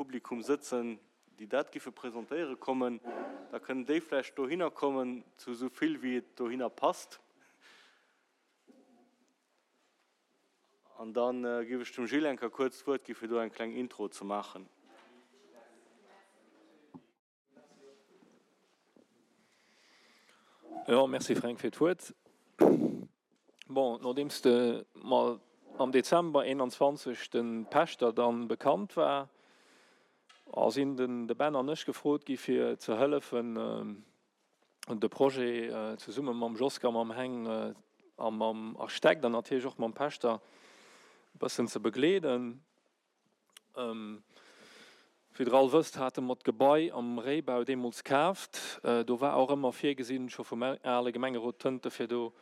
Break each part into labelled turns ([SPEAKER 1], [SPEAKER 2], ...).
[SPEAKER 1] Publikum sëtzen, déi dat giffe presentéiere kommen, da kënnen déi vläicht dohinner kommen, zu esou vill wéi et dohinner passt. An da giff ech dem Gilles eng Kéier kuerz d'Wuert gi fir do eng kleng Intro ze maachen.
[SPEAKER 2] Jo, merci Fränk fir d'Wuert. Bon, nodeems de mer am Dezember 21 de Pächter dann bekannt war, sinn den de Ben an ech gefrot gi fir ze hëllefen de Projet zesumme mam Joska, mam Heng a mam Architekt an natierlech och mam Pächter e bëssen ze begleeden. Wéi der all wësst, hate mer d'Gebai am Réibau deemools kaaft. Do war och ëmmer virgesinn, scho vum ale Gemengerot Tënte, fir do,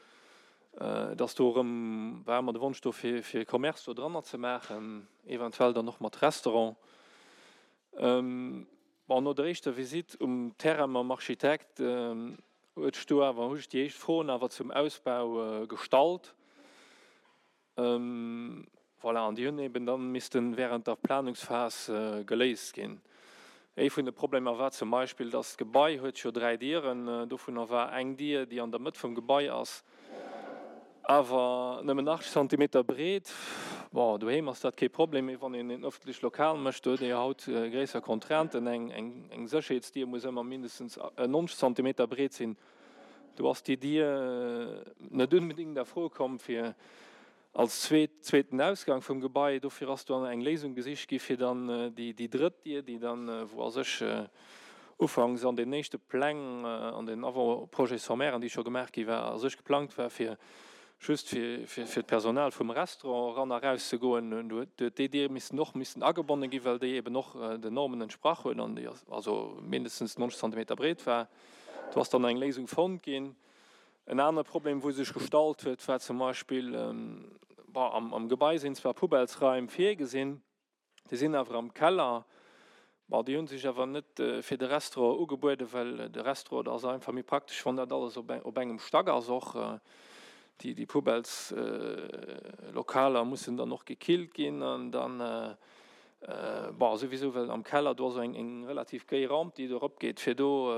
[SPEAKER 2] dass do erëm, war ëmmer de Wonsch do, fir fir Commerce do dranner ze maachen, eventuell dann och mat Restaurant. Bon, no der éischter Visitt um Terrain mam Architekt huet ech do awer, hu ech déi éischt Froen awer zum Ausbau gestallt. Voilà, an déi hunn eben dann missten während der Planungsphas geléist ginn. Ee vun de Problemer war zum Beispill, dass d'Gebai huet jo 3 Dieren, dovunner war eng Dier, déi an der Mëtt vum Gebai ass, awer nëmmen 80 Zentimeter breet. Bon, doheem ass dat kee Problem, mee wann een en öffentlecht Lokal mécht, do huet ee jo haut gréisser Contrainten. Eng Sécherheetsdier muss ëmmer mindestens 90 Zentimeter breet sinn. Do ass déi Dier net unbedéngt a Fro komm fir als zweet, zweeten Ausgang vum Gebai. Dofir ass do eng Léisung gesicht gi fir dann déi, déi drëtt Dier, déi dann, wou a sech ufanks an den éischte Pläng, an den Avant-projets-sommairen, déi scho gemaach gi war, a sech geplangt war fir just fir, fir, fir d'Personal vum Restaurant eran a raus ze goen. Do huet déi Dier missen och missen agebonne gi well déi eben och den Normen entsprach huet an déi also mindestens 90 Zentimeter breet war. Do ass dann eng Léisung fonnt ginn. En anere Problem, wou sech gestallt huet, war zum Beispill, bon, am Gebai sinn zwar Poubellesraim virgesinn, déi sinn awer am Keller. Bon, déi hu sech awer net fir de Restaurant ugebueden, well de Restaurant, dat ass einfach méi praktesch, wann dat alles op engem Stack ass. Och déi Poubelleslokaler mussen dann och gekillt ginn an dann Bon, souwisou, well am Keller do ass eng relativ géi Ramp, déi do eropgeet, fir do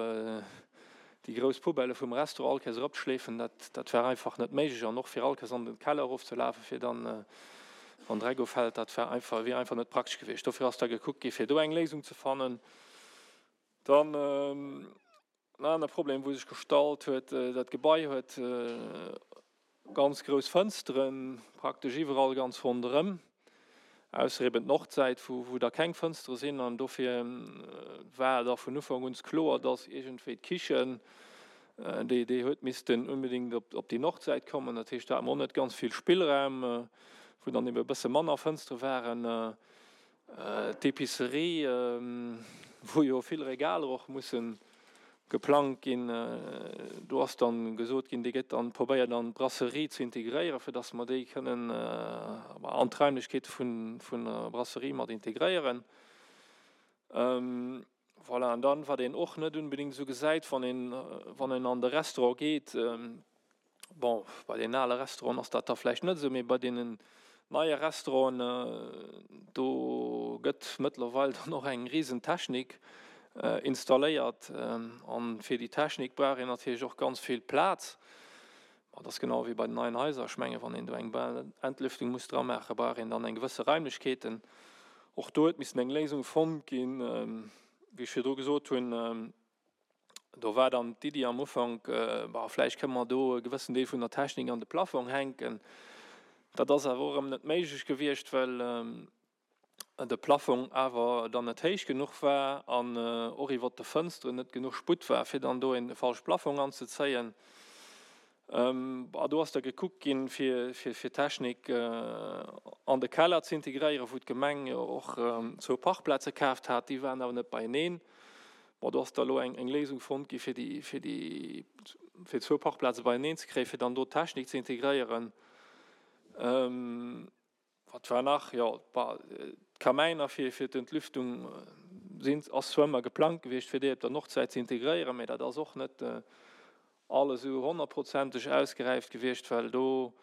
[SPEAKER 2] déi grouss Poubellë vum Restaurant all Kéiers eropzeschleefen, dat, dat war einfach net méiglech. An och fir all Kéiers an den Keller erofzelafen, fir dann, wann Dreck ufält, dat war einfach, wier einfach net praktesch gewiescht. Dofir ass da gekuckt gi fir do eng Léisung ze fannen. Dann en anere Problem, wou sech gestallt huet, dat Gebai huet ganz grouss Fënsteren, praktesch iwwerall ganz ronderëm, ausser eben d'Nordsäit, wou wou da keng Fënstere sinn. An dofir war da vun Ufank un kloer, dass iergendwéi d'Kichen, déi déi huet missten unbedéngt op op déi Nordsäit kommen. Dat heescht, do hate mer och net ganz vill Spillraum, wou dann ebe e bësse manner Fënstere waren. D'Epicerie, wou jo vill Regaler och musse geplangt ginn, do ass dann gesot ginn, déi gëtt dann probéiert an d'Brasserie ze integréieren, fir datt mer déi kënnen an d'Raimlechkeete vun der Brasserie mat integréieren. Voilà, an dann, wat een och net unbedéngt esou gesäit, wann een, wann een an de Restaurant geet, bon, bei deenen ale Restauranten ass dat da vläicht net esou, mee bei deenen neie Restauranten, do gëtt mëttlerweil dann och eng risen Technik installéiert. An fir déi Technik brauch een natierlech och ganz vill Plaz. Ma dat ass genau wéi bei den neien Haiser. Ech mengen, wann een do eng Entlüftung muss dra maachen, brauch een dann eng gewësse Raimlechkeeten. Och do huet missen eng Léisung fonnt ginn. Wéi ech virdru gesot hunn, do war dann d'Iddi am Ufank, Bah, vläicht kënne mer do e gewëssen Deel vun der Technik an de Plafong hänken. Dat ass awer och erëm net méiglech gewiescht, well de Plafong awer dann net héich genuch war an och iwwert de Fënsteren net genuch Sputt war, fir dann do een falsche Plafong anzezéien. A do ass da gekuckt ginn, fir d'Technik an de Keller ze integréieren, wou d'Gemeng jo och zwou Parkplaze kaaft hat. Déi waren awer net beieneen. Bon, do ass da elo eng Léisung fonnt gi fir déi, fir déi, fir zwou Parkplaze beieneen ze kréien, fir dann do d'Technik ze integréieren. Wat war nach? Jo, d'Kamäiner fir fir d'Entlüftung sinn, ass zwar ëmmer geplangt gewiescht, fir déi op der Nordsäit ze integréieren, mä dat ass och net alles esou honnertprozenteg ausgeräift gewiescht, well do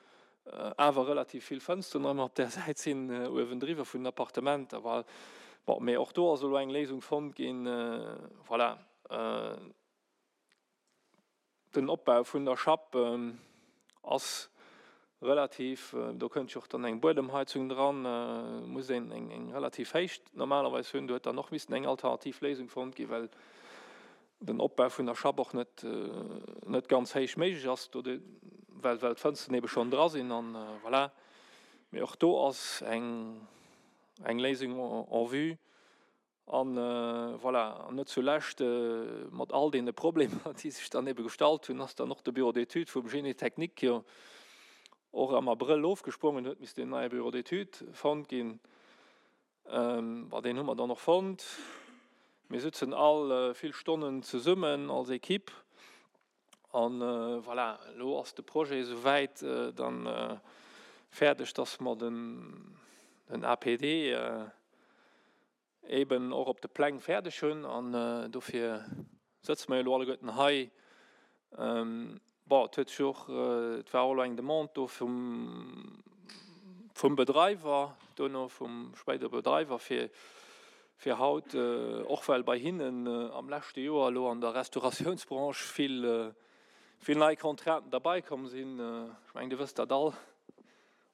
[SPEAKER 2] awer relativ vill Fënsteren ëmmer op där Säit sinn, uewendriwwer vun den Appartementer. Bon, mee och do ass elo eng Léisung fonnt ginn. Voilà. Den Opbau vun der Schapp ass relativ, do kënnt jo och dann eng Buedemheizung dran, muss een eng relativ héich normalerweis hunn. Do huet dann och missen eng alternativ Léisung fonnt ginn, well den Opbau vun der Schapp och net net ganz héich méiglech ass, do well well d'Fënsteren ebe schonn dra sinn an voilà. Mee och do ass eng eng Léisung en vue an voilà. An net zulescht mat all deene Problemer, déi sech dann ebe gestallt hunn, ass dann och de Bureau d'études vum Génie technique jo och am Abrëll ofgesprongen, huet missten en neie Bureau d'études fonnt ginn. Bon, deen hu mer dann och fonnt. Mir sëtzen all vill Stonnen zesummen als Equipe an voilà, elo ass de Projet esouwäit dann fäerdeg, dass mer den APD eben och op de Pläng fäerdeg hunn an dofir sëtze mer jo elo alleguerten hei. Bon, et huet sech och, et war och elo eng Demande do vum, vum Bedreiwer, duerno vum spéidere Bedreiwer, fir, fir haut, och well bei hinnen am leschte Joer elo an der Restauratiounsbranche vill, vill nei Contrainten derbaikomm sinn, ech mengen, Dir wësst dat all,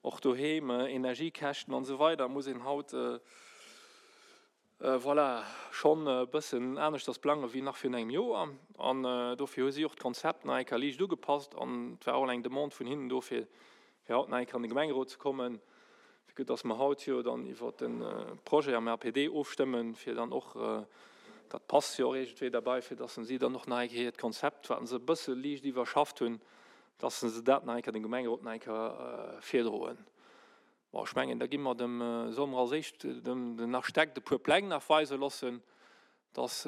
[SPEAKER 2] och doheem, Energiekäschten an esou weider, muss een haut, Voilà, schonn e bëssen aneschters plange wéi nach virun engem Joer. An dofir hu si och d'Konzept nach eng Kéier liicht ugepasst. An et war och eng Demande vun hinnen do, fir haut nach eng Kéier an de Gemengerot ze kommen, fir que dass mer haut jo dann iwwer de Projet am APD ofstëmmen, fir dann och, dat passt jo och iergendwéi derbei, fir dass si dann och nach eng Kéier hiert Konzept, wat se e bësse liicht iwwerschafft hunn, dass se dat nach eng Kéier dem Gemengerot nach eng Kéier virdroen. Bon, ech mengen, da gi mer dem, solle mer als éischt dem den Architekt e puer Pläng nach weise loossen, dass,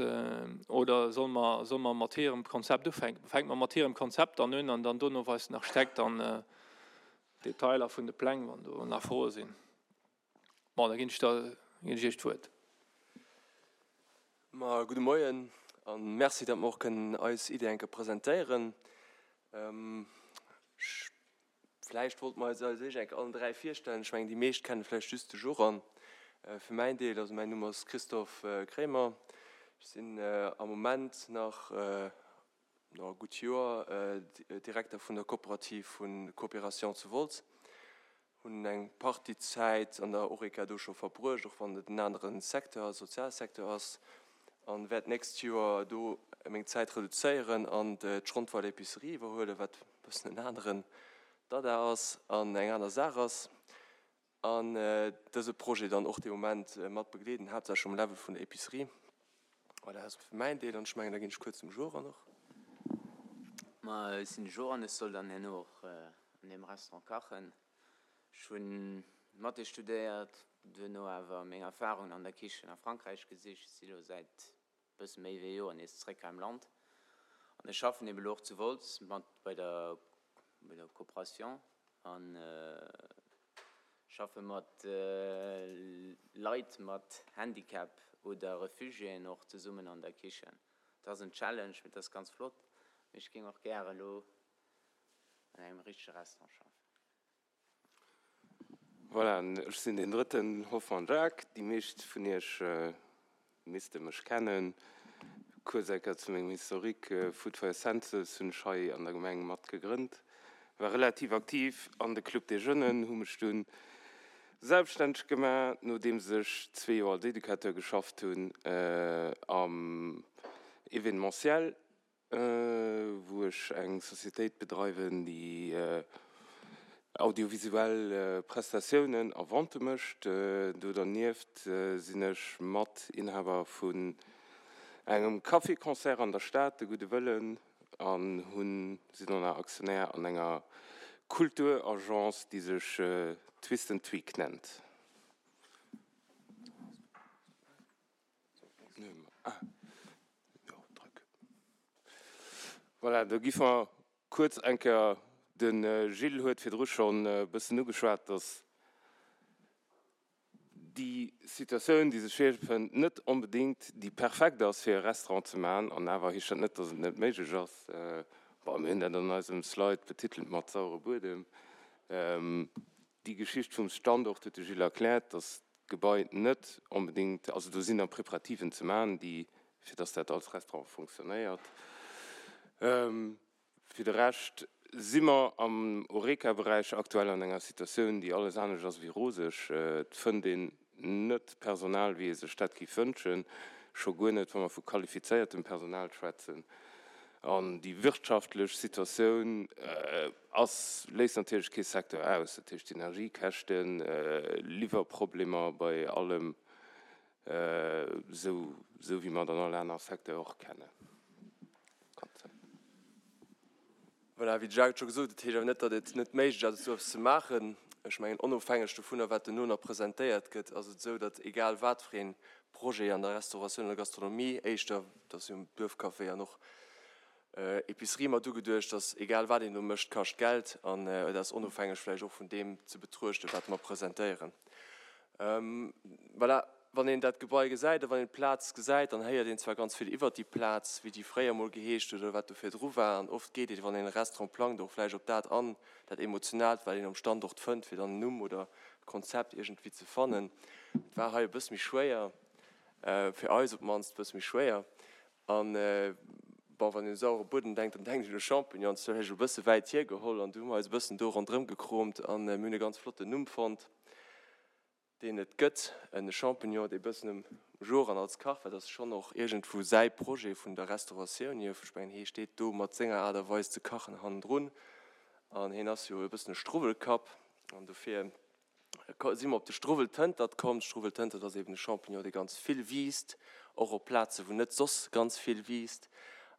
[SPEAKER 2] oder solle mer, solle mer mat hirem Konzept ufänken? Fänke mer mat hirem Konzept dann un an dann dono weist den Architekt dann d'Detailer vun de Pläng, wann do nach Froe sinn. Bon, da ginn ech der, ginn ech Iech d'Wuert.
[SPEAKER 3] Ma gudde Moien a Merci, datt mer och kënnen eis Idee eng Kéier presentéieren. Ech Vläicht wollte mer eis als éischt enk allen 3 virstellen. Ech mengen, déi meescht kenne vläicht just de Joran. Fir mäin Deel, also mäin Numm ass Christophe Kremer. Ech sinn am Moment nach, no e gutt Joer, Direkter vun der Kooperativ vu Coopération zu Wolz. Hunn eng Partie Zäit an der Horeca do scho verbruecht, och wann et en anere Secteur, Sozialsecteur ass. An wäert d'nächst Joer do meng Zäit reduzéieren an d'Schrontweiler Epicerie iwwerhuelen, wat e bëssen en aneren Dada ass an eng aner Saach ass. An dëse Projet dann och dee Moment mat begleeden, haaptsächlech um Level vun der Epicerie. Voilà, dat ass fir mäin Deel an ech mengen, da ginn ech kuerz dem Joran och.
[SPEAKER 4] Ma ech sinn de Joran, ech soll dann herno och an deem Restaurant kachen. Ech hunn Mathé studéiert, duerno awer meng Erfarungen an der Kichen a Frankräich gesicht, si lo säit bësse méi wéi e Joer nees zréck hei am Land an ech schaffen eben elo och zu Wolz mat bei der bei der Coopération an schaffe mat Leit mat Handicap oder Refugiéen och zesummen an der Kichen. Et ass en Challenge, mee et ass ganz flott. Mee ech géing och gäre elo an engem richtege Restaurant schaffen.
[SPEAKER 5] Voilà, ech sinn deen drëtten Hoffmann Jacques. Déi meescht vun iech misste mech kennen. Kuerz eng Kéier zu mengem Historique, Food for your Senses hunn ech hei an der Gemeng mat gegrënnt, war relativ aktiv an de Club des Jeunes, hu mech dunn selbststänneg gemaach, nodeems ech zwee Joer als Educateur geschafft hunn am Événementiel. wou ech eng Societéit bedreiwen, déi audiovisuell Prestatiounen a Vente mécht. Do dernieft sinn ech Matinhaber vun engem Café-Concert an der Stad, de Gudde Wëllen, an hunn, sinn och nach Aktionär an enger Kulturagence, déi sech Twist and Tweak nennt. Voilà, da gi mer kuerz eng Kéier, de Gilles huet virdru schonn e bëssen ugeschwat, dass déi Situatioun, déi sech virfënnt, net onbedéngt déi perfekt ass, fir e Restaurant ze maachen. An awer heescht dat net, dass et net méiglech ass. Bon, mir hunn dat an eisem Slide betitelt mat saure Buedem. Déi Geschicht vum Standort huet de Gilles erkläert, dass. Gebai net onbedéngt, also do sinn nach Preparativen ze maachen, déi, fir dass dat als Restaurant fonctionnéiert. Fir de Rescht si mer am Horeca-Beräich aktuell an enger Situatioun, déi alles anescht ass wéi roseg. Et fënnt een net Personal, wéi ee sech dat géif wënschen, scho guer net, wa mer vu qualifizéiertem Personal schwätzen. An déi wirtschaftlech Situatioun ass, léisst natierlech kee Secteur aus. Dat heescht Energiekäschten, Liwwerproblemer bei allem, esou wéi mer et an all aner Secteur och kennen.
[SPEAKER 3] Voilà, wéi de Jacques et scho gesot huet, dat heescht awer net, datt et net méiglech ass, esou eppes ze maachen. Ech mengen, onofhängeg dovunner, wat duerno nach presentéiert gëtt, ass et esou, datt egal wat fir ee Projet an der Restauratioun oder Gastronomie, éischter, et ass jo Duerfcafé an och Epicerie mat ugeduecht, datt egal wat een do mécht, kascht Geld an et ass onofhängeg vläicht och vun deem ze betruechten, wat mer presentéieren. Voilà, wann een dat Gebai gesäit a wann een d'Plaz gesäit, dann héiert een zwar ganz vill iwwert déi Plaz, wéi déi fréier mol geheescht huet oder wat do virdru war. An oft geet een, wann een e Restaurant plangt, och vläicht op dat an, dat Emotionaalt, wat een am Standort fënnt, fir dann en Numm oder e Konzept iergendwéi ze fannen. Et war hei e bësse méi schwéier, fir eis op d'mannst e bësse méi schwéier. An, bon, wann een u sauere Buedem denkt, dann denkt een u Champignons. Dat hu ech e bësse wäit hiergeholl an du hu mer eis e bëssen do ronderëm gekromt an mir hunn e ganz flotten Numm fonnt, deen et gëtt, e Champignon, dee bëssen um Joer an als Kach, well dat ass schonn och iergendwou säi Projet vun der Restauratioun hier. Ech mengen, hee steet do mat senger Aart a Weis ze kachen hannendrun an hien ass jo e bëssen e Struwwelkapp an dofir si mer op de Struwweltëntert komm. De Struwweltëntert ass eben e Champignon, dee ganz vill wiisst, och op Plaze wou net soss ganz vill wiisst.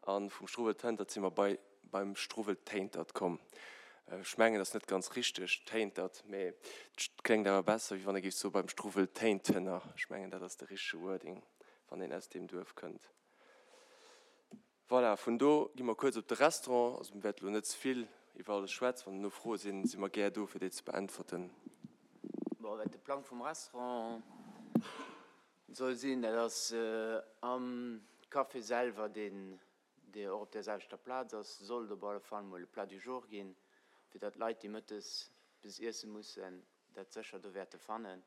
[SPEAKER 3] A vum Struwweltëntert si mer bei beim Struwweltéintert komm. Ech mengen, dat ass net ganz richteg, Téintert, mee et kléngt awer besser, wéi wann ee géif soe beim Struwweltéintener. Ech mengen, dat ass de richtege Wording, wann een aus deem Duerf kënnt. Voilà, vun do gi mer kuerz op de Restaurant. Also mir wäerte lo net ze vill iwwer alles schwätzen. Wann duerno Froe sinn, si mer gär do, fir déi ze beäntwerten.
[SPEAKER 4] Bon, wat de Plang vum Restaurant soll sinn, dat ass am Café selwer, deen och op där selwechter Plaz ass, sollt op alle Fall mol e Plat du jour ginn, fir datt d'Leit, déi mëttes eppes iesse mussen, dat sécher do wäerte fannen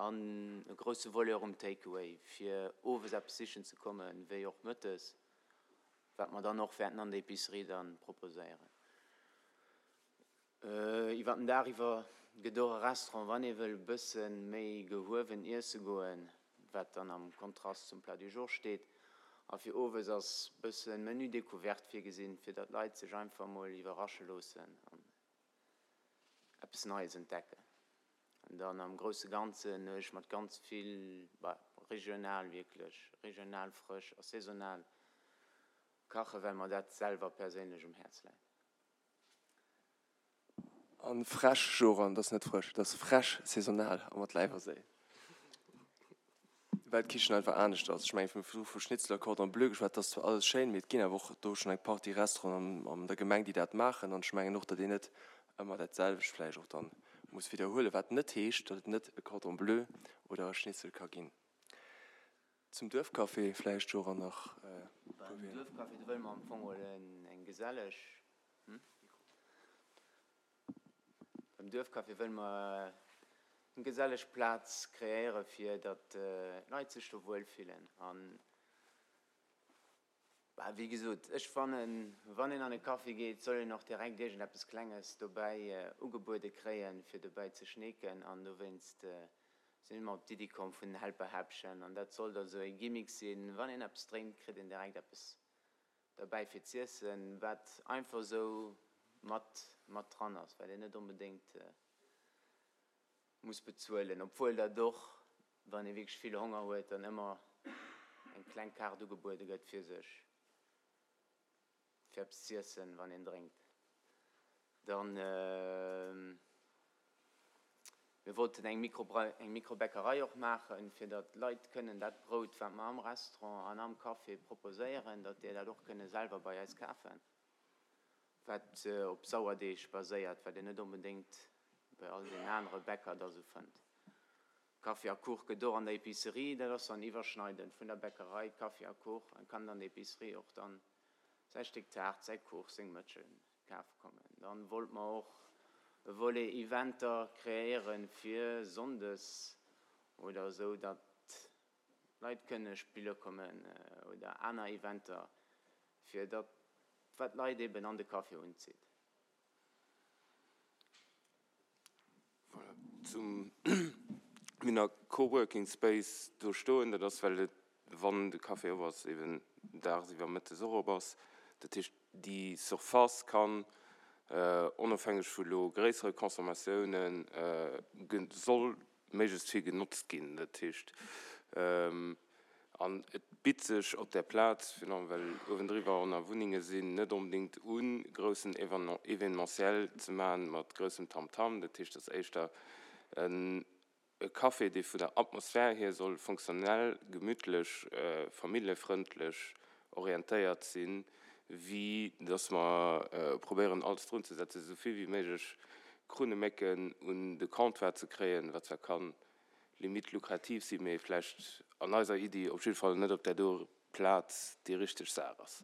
[SPEAKER 4] an e grousse Volet och um Take-away, fir owes eppes sichen ze kommen, wéi och mëttes, wat mer dann och wäerten an der Epicerie da proposéieren. Iwwer den Dag iwwer gëtt och e Restaurant, wann ee wëll e bësse méi gehuewen iesse goen, wat dann am Kontrast zum Plat du jour steet. A fir owes ass e bësse Menu découverte virgesinn, fir datt d'Leit sech einfach mol iwwerrasche loossen. Eppes Neies entdecken. An dann am grousse Ganzen hu ech mat ganz vill, bah, regional wierklech, regional, frësch a saisonal kachen, well mer dat selwer perséinlech um Häerz läit.
[SPEAKER 3] A frech, Joran, dat ass net frësch, dat ass frech, saisonal a mat Läif a Séil. Well d'Kichen einfach anescht ass. Ech mengen, mir hu vu Schnitzel a Cordon bleu geschwat, dat ass zwar alles schéin, mee et ginn awer och do schonn eng Partie Restauranten an der Gemeng, déi dat maachen. An ech mengen och, datt een net ëmmer dat selwecht vläicht och dann muss widderhuelen, wat net heescht, datt et net e Cordon bleu oder e Schnitzel ka ginn. Zum Duerfcafé vläicht, Joran, nach e
[SPEAKER 4] puer Wierder. Beim Duerfcafé, do wëlle mer am Fong geholl eng geselleg. Beim Duerfcafé wëlle mer eng geselleg Plaz kreéiere fir datt d'Leit sech do wuel fillen. An bah, wéi gesot, ech fannen, wann een an e Café geet, soll een och direkt iergendeppes Klenges dobäi ugebuede kréien, fir dobäi ze schneeken. An dowéinst si mer op d'Iddi komm vun den Helperhäppchen. An dat soll da sou e Gimmick sinn, wann een eppes drénkt, kritt een direkt eppes derbäi fir z'iessen, wat einfach esou mat mat dran ass, wat een net onbedéngt muss bezuelen, obwuel dat och, wann ee wierklech vill Honger huet, dann ëmmer eng kleng Kaart ugebuede gëtt fir sech fir eppes z'iessen, wann een drénkt. Dann. Mir wollten eng Mikrobäckerei och maachen, fir datt d'Leit kënnen dat Brout, wat mer am Restaurant an am Café proposéieren, datt déi dat och kënne selwer bei eis kafen, wat op Sauerdeeg baséiert, wat een net onbedéngt bei all den anere Bäcker da sou fënnt. Kaffi a Kuch gëtt och an der Epicerie, dat ass dann iwwerschneidend vun der Bäckerei, Kaffi a Kuch, e kann an der Epicerie och dann säi Stéck Taart, säi Kuch, seng Mëtschel Kaf kommen. Dann wollt mer och e Volet Eventer kreéieren fir Sonndes. Oder esou, datt Leit kënne spille kommen oder aner Eventer, fir datt wat d'Leit eben an de Café unzitt.
[SPEAKER 5] Voilà, zum Minner Coworking Space do stoen, dat ass well et, wann de Café op ass, eben dagsiwwer mëttes och op ass. Dat heescht, déi Surface kann, onofhängeg vu lo gréissere Consommatiounen, soll méiglechst vill genotzt ginn. Dat heescht, an et bitt sech op där Plaz, virun allem well uewendriwwer och nach Wunnenge sinn, net onbedéngt un, groussen Événementiel ze maachen mat groussem Tamtam. Dat heescht, et ass éischter e Café, dee vun der Atmosphär hier soll fonctionnel, gemütlech, familljefrëndlech orientéiert sinn, wéi dass mer probéieren alles drun ze setzen, esou vill wéi méiglech Krunnemécken un de Comptoir ze kréien, wat zwar ka limite lukrativ sinn, mee vläicht an eiser Iddi op jidde Fall net op där doer Plaz déi richteg Saach ass.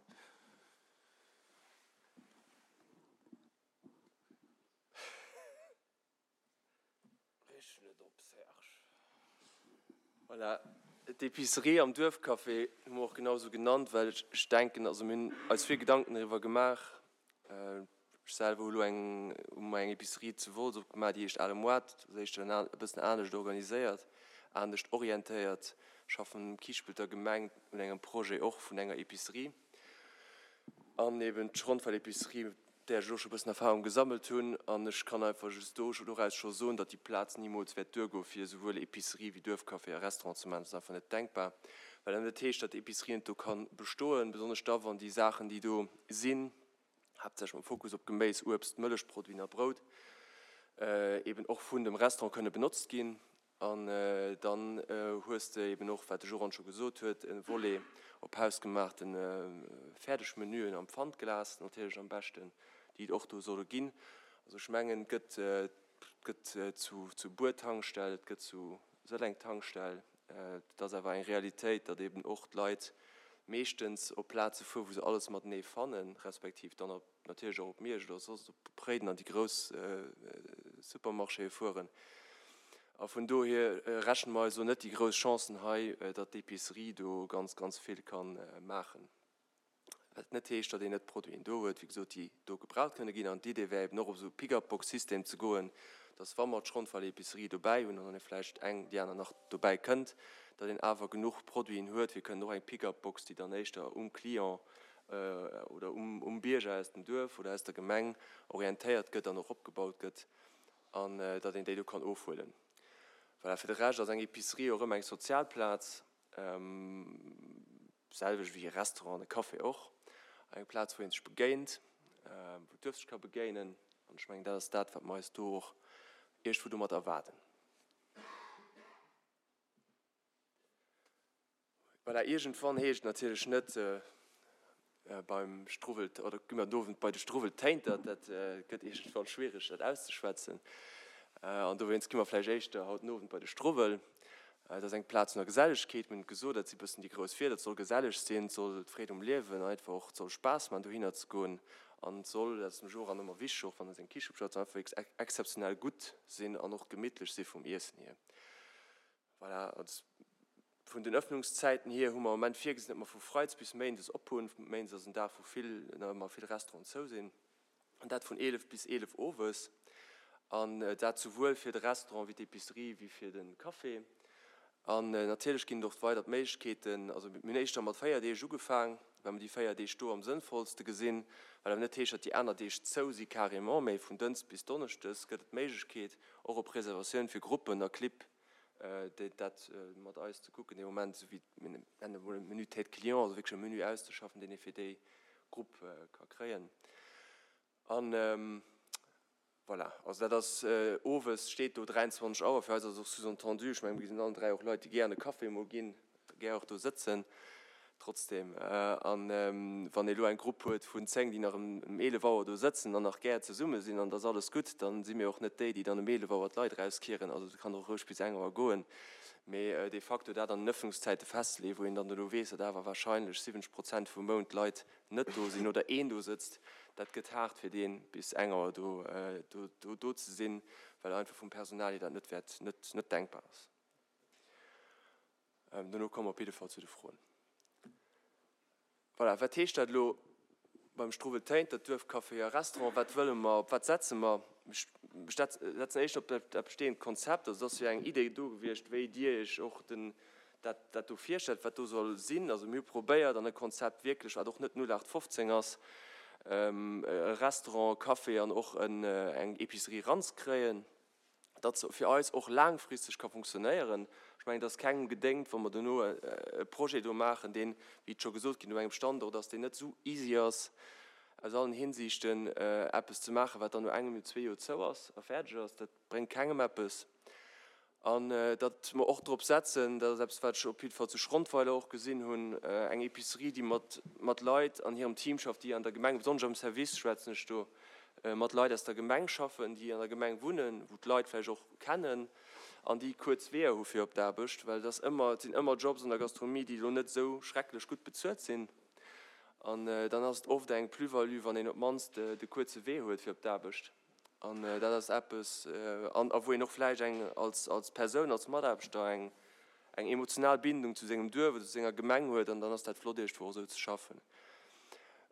[SPEAKER 3] Rich net op, Serge. Voilà, d'Epicerie am Duerfcafé hu mer och genau esou genannt, well ech denken, also mir hunn eis vill Gedanken driwwer gemaach. Ech selwer hu lo eng, hu mer eng Epicerie zu Wolz opgemaach, déi heescht Ale Moart, dat ass éischter e bëssen anescht organiséiert, anescht orientéiert. Schaffen um Kiischpelter Gemeng un engem Projet och vun enger Epicerie an eben d'Schronfeld-Epicerie, där ech elo scho bëssen Erfahrung gesammelt hunn. An ech kann einfach just do doraus scho soen, datt déi Plaz nimools wäert duergoe fir esouwuel Epicerie wéi Duerfcafé a Restaurant ze maachen. Dat ass einfach net denkbar, well dat net heescht, datt d'Epicerie net do ka bestoen, besonnesch da wann déi Saachen, déi do sinn, haaptsächlech mam Fokus op Geméis, Uebst, Mëllechproduiten a Brout, eben och vun dem Restaurant kënne benotzt ginn. An dann hues de eben och, wat de Joran scho gesot huet, e Volet op hausgemaachte Fäerdegmenüen am Pfandglas natierlech am beschten, déi et och do solle ginn. Also ech mengen, et gëtt, et gëtt zu, zu Buer Tankstell, et gëtt zu Sëlleng Tankstell. Et ass awer eng Realitéit, datt eben och d'Leit meeschtens op Plaze fueren, wou se alles matenee fannen, respektiv dann op natierlech och op Miersch oder soss op Réiden an déi grouss Supermarchéë fueren. A vun dohier rechne mer eis elo net déi grouss Chancen hei, datt d'Epicerie do ganz, ganz vill ka maachen. Wat net heescht, datt een net Produiten do huet, wéi gesot, déi do gebraucht kënne ginn. An d'Idee wär eben och, op esou e Pick-up-Box-System ze goen, datt wa mer d'Schronfall-Epicerie dobäi hunn an dann vläicht eng déi aner nach dobäi kënnt, datt een awer genuch Produiten huet. Mir kënnen och eng Pick-up-Box, déi dann éischter um Client oder um Bierger aus dem Duerf oder aus der Gemeng orientéiert gëtt an och opgebaut gëtt an datt een déi do kann ofhuelen. Voilà, fir de Rescht ass eng Epicerie och ëmmer eng sozial Plaz, selwecht wéi e Restaurant an e Café och, eng Plaz wou ee sech begéint, wou d'Duerf sech ka begéinen an ech mengen dat ass dat wat mer eis do och iergendwou domat erwaarden. Voilà, iergendwann heescht et natierlech net beim Struwwel, oder gi mer den Owend bei de Struwweltéinter, dat gëtt iergendwann schwiereg dat auszeschwätzen. An dowéinst gi mer vläicht éischter haut den Owend bei de Struwwel. Dat ass eng Plaz vun der Gesellegkeet, mir hunn et gesot, dat si bëssen déi grouss Wierder, et soll geselleg sinn, et soll d'Freed um Liewen einfach och, et soll Spaass maachen dohinner ze goen an et soll, dat ass dem Joran ëmmer wichteg, och wann e seng Kiche opschafft, et soll einfach wierklech exzeptionell gutt sinn an och gemittlech si vum Iessen hier. Voilà, also vun den Öffnungszäiten hier hu mer am Moment virgesinn, datt mer vu Freides bis Méindes op hunn. Méindes ass en Dag, wou vill, nach ëmmer vill Restauranten zou sinn. An dat vun 11 bis 11 owes. An dat souwuel fir de Restaurant wéi d'Epicerie wéi fir de Café. An natierlech ginn et och weider d'Méiglechkeeten, also mir hunn éischter mat 4 Deeg ugefaang, well mer déi 4 Deeg do am sënnvollste gesinn, wat awer net heescht, datt déi aner Deeg zou si carrément, mä vun Dënschdes bis Donneschdes gëtt et d'Méiglechkeet, och op Reservatioun fir Gruppen a Clibb, dat mat eis ze kucken dee Moment, esou wéi mir nennen emol e Menu tête client, also wierklech e Menu auszeschaffen, deen ee fir déi Grupp ka kréien. An voilà, also dat ass owes, steet do 23 Auer, fir eis ass et och sous-entendu, ech mengen, mir sinn allen 3 och Leit, déi gär an e Café emol ginn, gär och do sëtzen trotzdem. An wann ee elo eng Grupp huet vun 10, déi nach ëm 11 Auer do sëtzen an nach gär zesumme sinn an et ass alles gutt, dann si mir och net déi, déi dann ëm 11 Auer d'Leit erauskieren. Also et kann och roueg bis eng Auer goen. Mee de facto dat an den Ëffnungszäite festleeën, wou een dann elo weess, datt awer wahrscheinlech 70 Prozent vum Mount d'Leit net do sinn oder een do sëtzt, dat gëtt haart fir dee bis eng Auer do do ze sinn, well einfach vum Personal hier dat net wäert net denkbar ass. Dono komme mer op jidde Fall zu de Froen. Voilà, wat heescht dat elo beim Struwwel Téinter, Duerfcafé a Restaurant? Wat wëlle mer, op wat setze mer? Ech setzen éischter op dat bestehend Konzept. Also et ass jo eng Idee do gewiescht, wéi Dir Iech och den, dat, dat do virstellt, wat do soll sinn. Also mir hu probéiert an e Konzept wierklech, wat och net 0815 ass, e Restaurant, e Café an och eng Épicerie eranzekréien. datt se fir eis och laangfristeg ka funktionéieren. Ech mengen, et ass kengem gedéngt, wa mer dono e Projet do maachen, deen, wéi et scho gesot ginn, op engem Standort ass, deen net esou easy ass aus allen Hinsichten, eppes ze maachen, wat dann no engem, zwee Joer zou ass a fäerdeg ass. Dat bréngt kengem eppes. An datt mer och drop setzen, dat ass eppes, wat ech op jidde Fall zu Schrondweiler och gesinn hunn, eng Épicerie, déi mat, mat Leit an hirem Team schafft, déi an der Gemeng, besonnesch am Service schwätzen ech do, mat Leit aus der Gemeng schaffen, déi an der Gemeng wunnen, wou d'Leit vläicht och kennen an déi kuerz Weeër hu fir op d'Aarbecht, well et ass ëmmer, et sinn ëmmer Jobs an der Gastronomie, déi elo net esou schrecklech gutt bezuelt sinn. An dann ass et oft eng Plus-value, wann een op d'mannst de kuerze Wee huet fir op d'Aarbecht. An dat ass eppes, an a wou een och vläicht eng als als Persoun, als Mataarbechter eng eng emotional Bindung zu sengem Duerf oder zu senger Gemeng huet an dann ass dat flott iergendwou och esou ze schaffen.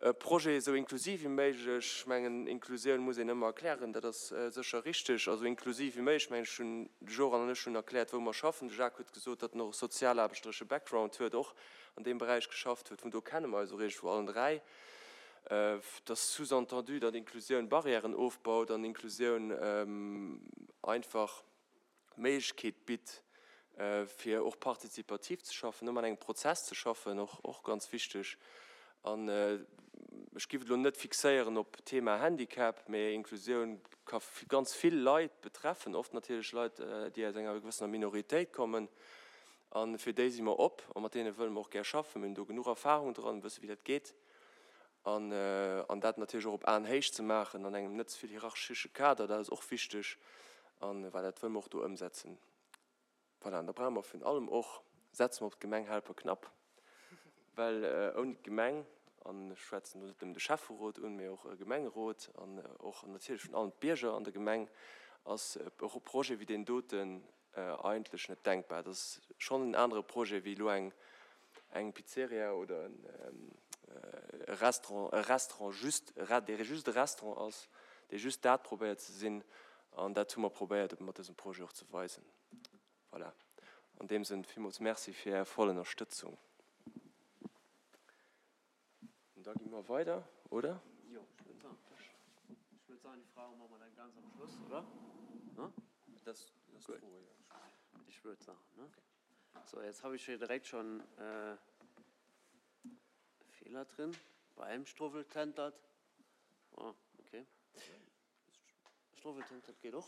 [SPEAKER 3] E Projet esou inklusiv wéi méiglech, ech mengen Inklusioun muss een ëmmer erklären, dat ass sécher richteg, also inklusiv wéi méiglech, ech mengen ech hunn, de Joran an ech hunn erkläert wou mer schaffen, de Jacques huet gesot, datt en och e sozialaarbechteresche Background huet, och an deem Beräich geschafft huet, vun do kenne mer eis och iergendwou allen 3. Et ass sous-entendu, datt Inklusioun Barrièren ofbaut an Inklusioun einfach d'Méiglechkeet bitt, fir och partizipativ ze schaffen, ëmmer an engem Prozess ze schaffen, och ganz wichteg. An ech giff et elo net fixéieren op d'Thema Handicap, mä Inklusioun ka ganz vill Leit betreffen, oft natierlech Leit, déi aus enger gewëssener Minoritéit kommen. A fir déi si mer op a mat deene wëlle mer och gär schaffen. Mir hunn do genuch Erfahrung dran, wësse wéi dat geet. An, an dat natierlech och op Aenhéicht ze maachen, an engem net ze vill hierarchesche Kader, dat ass och wichteg. An voilà, dat wëlle mer och do ëmsetzen. Voilà, an da brauche mer virun allem och, setze mer op d'Gemeng Helperknapp, well ouni d'Gemeng, an ech schwätzen do net nëmmen de Schäfferot un, mee och e Gemengerot an och natierlech virun allem d'Bierger an der Gemeng, ass e Projet wéi deen doten Eigentlech net denkbar. Dat ass schonn en anere Projet wéi elo eng eng Pizzeria oder e Restaurant, e Restaurant just, dee just e Restaurant ass, dee just dat probéiert ze sinn. An dat hu mer probéiert ebe mat dësem Projet och ze weisen. Voilà. An deem Sënn villmools Merci fir Är voll Ënnerstëtzung. Und da gi mer weider, oder?
[SPEAKER 1] Jo, ech wëll soen, ech wëll soen, déi Froe maache mer dann ganz am Schluss, oder? Ne?
[SPEAKER 3] Dat ass d'Fro, jo.
[SPEAKER 1] Ich würd sagen, ne? So, jetzt habe ich hier direkt schon äh, Fehler drin. Beim Struwweltentert. Oh, okay. Struwweltentert geht och.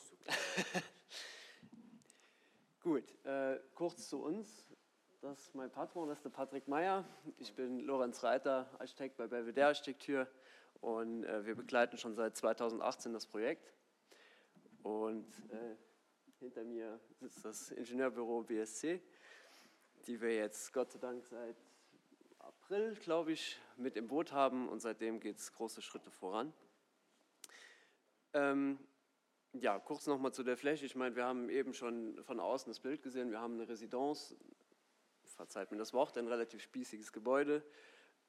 [SPEAKER 1] Gut, äh, kurz zu uns. Das ist mein Patron, das ist der Patrick Meyer. Ich bin Lorenz Reiter, Architekt bei Belvedere Architektur und äh, wir begleiten schon seit 2018 das Projekt. Und äh, hinter mir sitzt das Ingenieurbüro BSC, die wir jetzt Gott sei Dank seit April, glaube ich, mit im Boot haben und seitdem geht es große Schritte voran. Ähm, ja, kurz noch mal zu der Fläche. Ich meine, wir haben eben schon von außen das Bild gesehen. Wir haben eine Residenz, verzeiht mir das Wort, ein relativ spießiges Gebäude.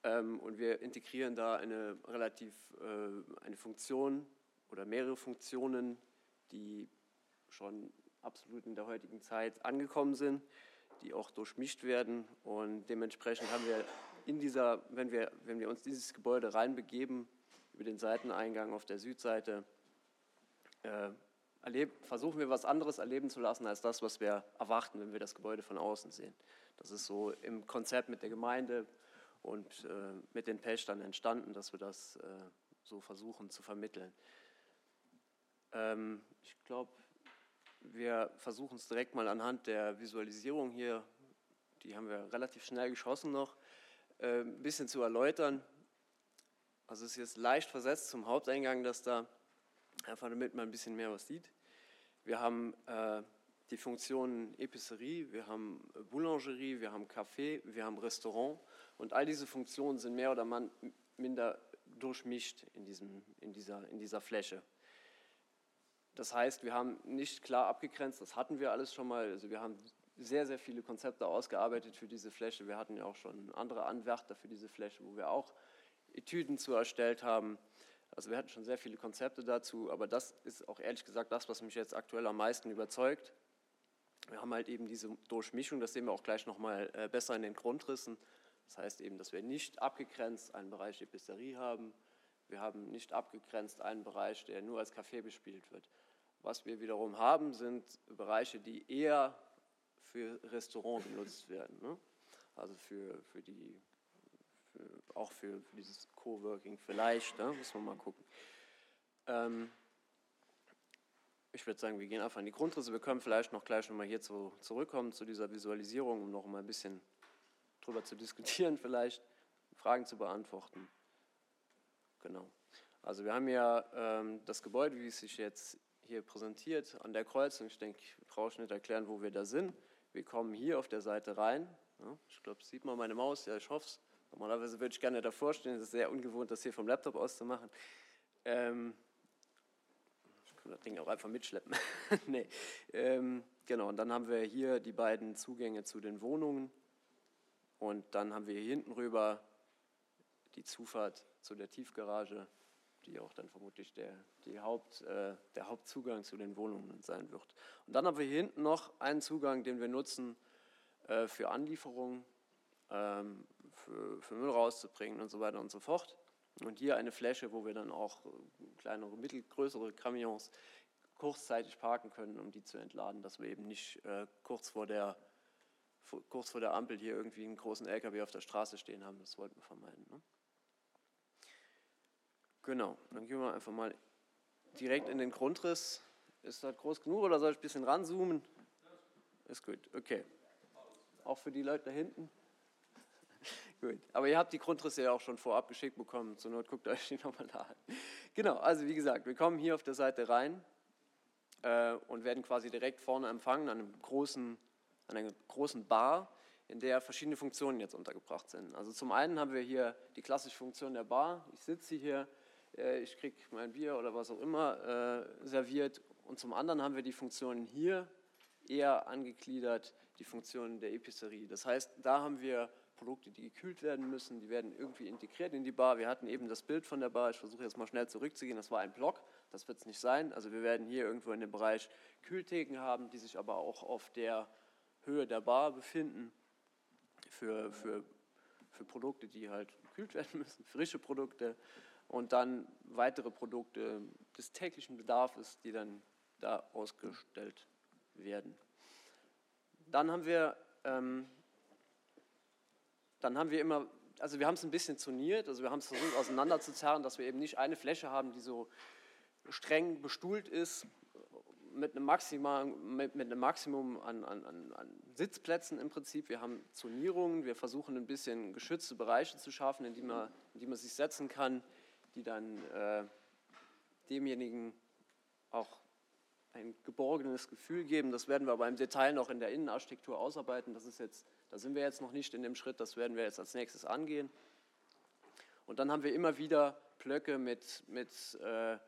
[SPEAKER 1] Ähm, und wir integrieren da eine relativ äh, eine Funktion oder mehrere Funktionen, die schon absolut in der heutigen Zeit angekommen sind, die auch durchmischt werden. Und dementsprechend haben wir in dieser, wenn wir, wenn wir uns dieses Gebäude reinbegeben, über den Seiteneingang auf der Südseite, äh, erleb, versuchen wir was anderes erleben zu lassen als das, was wir erwarten, wenn wir das Gebäude von außen sehen. Das ist so im Konzept mit der Gemeinde und äh, mit den Pächtern entstanden, dass wir das äh, so versuchen zu vermitteln. Ähm, ich glaube, wir versuchen es direkt mal anhand der Visualisierung hier, die haben wir relativ schnell geschossen noch, äh, ein bisschen zu erläutern. Also es ist jetzt leicht versetzt zum Haupteingang, dass da einfach damit man ein bisschen mehr was sieht. Wir haben äh, die Funktionen Epicerie, wir haben Boulangerie, wir haben Café, wir haben Restaurant und all diese Funktionen sind mehr oder minder durchmischt in, diesem, in, dieser, in dieser Fläche. Das heißt, wir haben nicht klar abgegrenzt, das hatten wir alles schon mal, also wir haben sehr, sehr viele Konzepte ausgearbeitet für diese Fläche. Wir hatten ja auch schon andere Anwärter für diese Fläche, wo wir auch Etüden zu erstellt haben. Also wir hatten schon sehr viele Konzepte dazu, aber das ist auch ehrlich gesagt das, was mich jetzt aktuell am meisten überzeugt. Wir haben halt eben diese Durchmischung, das sehen wir auch gleich nochmal äh, besser in den Grundrissen. Das heißt eben, dass wir nicht abgegrenzt einen Bereich Episterie haben. Wir haben nicht abgegrenzt einen Bereich, der nur als Café bespielt wird. Was wir wiederum haben, sind Bereiche, die eher für Restaurant genutzt werden. Ne? Also für, für die, für, auch für, für dieses Coworking vielleicht, ne? muss man mal gucken. Ähm, ich würde sagen, wir gehen einfach in die Grundrisse. Wir können vielleicht noch gleich nochmal hier zu, zurückkommen zu dieser Visualisierung, um noch mal ein bisschen drüber zu diskutieren vielleicht, Fragen zu beantworten. Genau. Also wir haben ja ähm, das Gebäude, wie es sich jetzt hier präsentiert, an der Kreuzung. Ich denke, ich brauche nicht erklären, wo wir da sind. Wir kommen hier auf der Seite rein. Ja, ich glaube, sieht man meine Maus? Ja, ich hoffe es. Normalerweise würde ich gerne davor stehen. Es ist sehr ungewohnt, das hier vom Laptop aus zu machen. Ähm, ich kann das Ding auch einfach mitschleppen. nee. Ähm, genau, und dann haben wir hier die beiden Zugänge zu den Wohnungen. Und dann haben wir hier hinten rüber die Zufahrt zu der Tiefgarage, die auch dann vermutlich der, die Haupt, äh, der Hauptzugang zu den Wohnungen sein wird. Und dann haben wir hier hinten noch einen Zugang, den wir nutzen äh, für Anlieferungen, ähm, für, für Müll rauszubringen und so weiter und so fort. Und hier eine Fläche, wo wir dann auch äh, kleinere, mittelgrößere Camions kurzzeitig parken können, um die zu entladen, dass wir eben nicht äh, kurz vor der kurz vor der Ampel hier irgendwie einen großen LKW auf der Straße stehen haben. Das wollten wir vermeiden. Ne? Genau, dann gehen wir einfach mal direkt in den Grundriss. Ist das groß genug oder soll ich ein bisschen ranzoomen? Ist gut, okay. Auch für die Leute da hinten. gut, aber ihr habt die Grundrisse ja auch schon vorab geschickt bekommen. Zur Not guckt euch die nochmal da an. Genau, also wie gesagt, wir kommen hier auf der Seite rein äh, und werden quasi direkt vorne empfangen an einem großen, an einer großen Bar, in der verschiedene Funktionen jetzt untergebracht sind. Also zum einen haben wir hier die klassische Funktion der Bar. Ich sitze hier, äh, ich kriege mein Bier oder was auch immer äh, serviert. Und zum anderen haben wir die Funktionen hier eher angegliedert, die Funktionen der Epicerie. Das heißt, da haben wir Produkte, die gekühlt werden müssen, die werden irgendwie integriert in die Bar. Wir hatten eben das Bild von der Bar, ich versuche jetzt mal schnell zurückzugehen, das war ein Block, das wird es nicht sein. Also wir werden hier irgendwo in dem Bereich Kühltheken haben, die sich aber auch auf der Höhe der Bar befinden für, für, für Produkte, die halt gekühlt werden müssen, frische Produkte und dann weitere Produkte des täglichen Bedarfs, die dann da ausgestellt werden. Dann haben wir, ähm, dann haben wir immer, also wir haben es ein bisschen zoniert, also wir haben es versucht auseinanderzuzerren, dass wir eben nicht eine Fläche haben, die so streng bestuhlt ist, mit einem, Maxima, mit, mit einem Maximum an, an, an Sitzplätzen im Prinzip. Wir haben Zonierungen, wir versuchen ein bisschen geschützte Bereiche zu schaffen, in die man, in die man sich setzen kann, die dann äh, demjenigen auch ein geborgenes Gefühl geben. Das werden wir aber im Detail noch in der Innenarchitektur ausarbeiten. Das ist jetzt, da sind wir jetzt noch nicht in dem Schritt, das werden wir jetzt als nächstes angehen. Und dann haben wir immer wieder Blöcke mit, mit äh,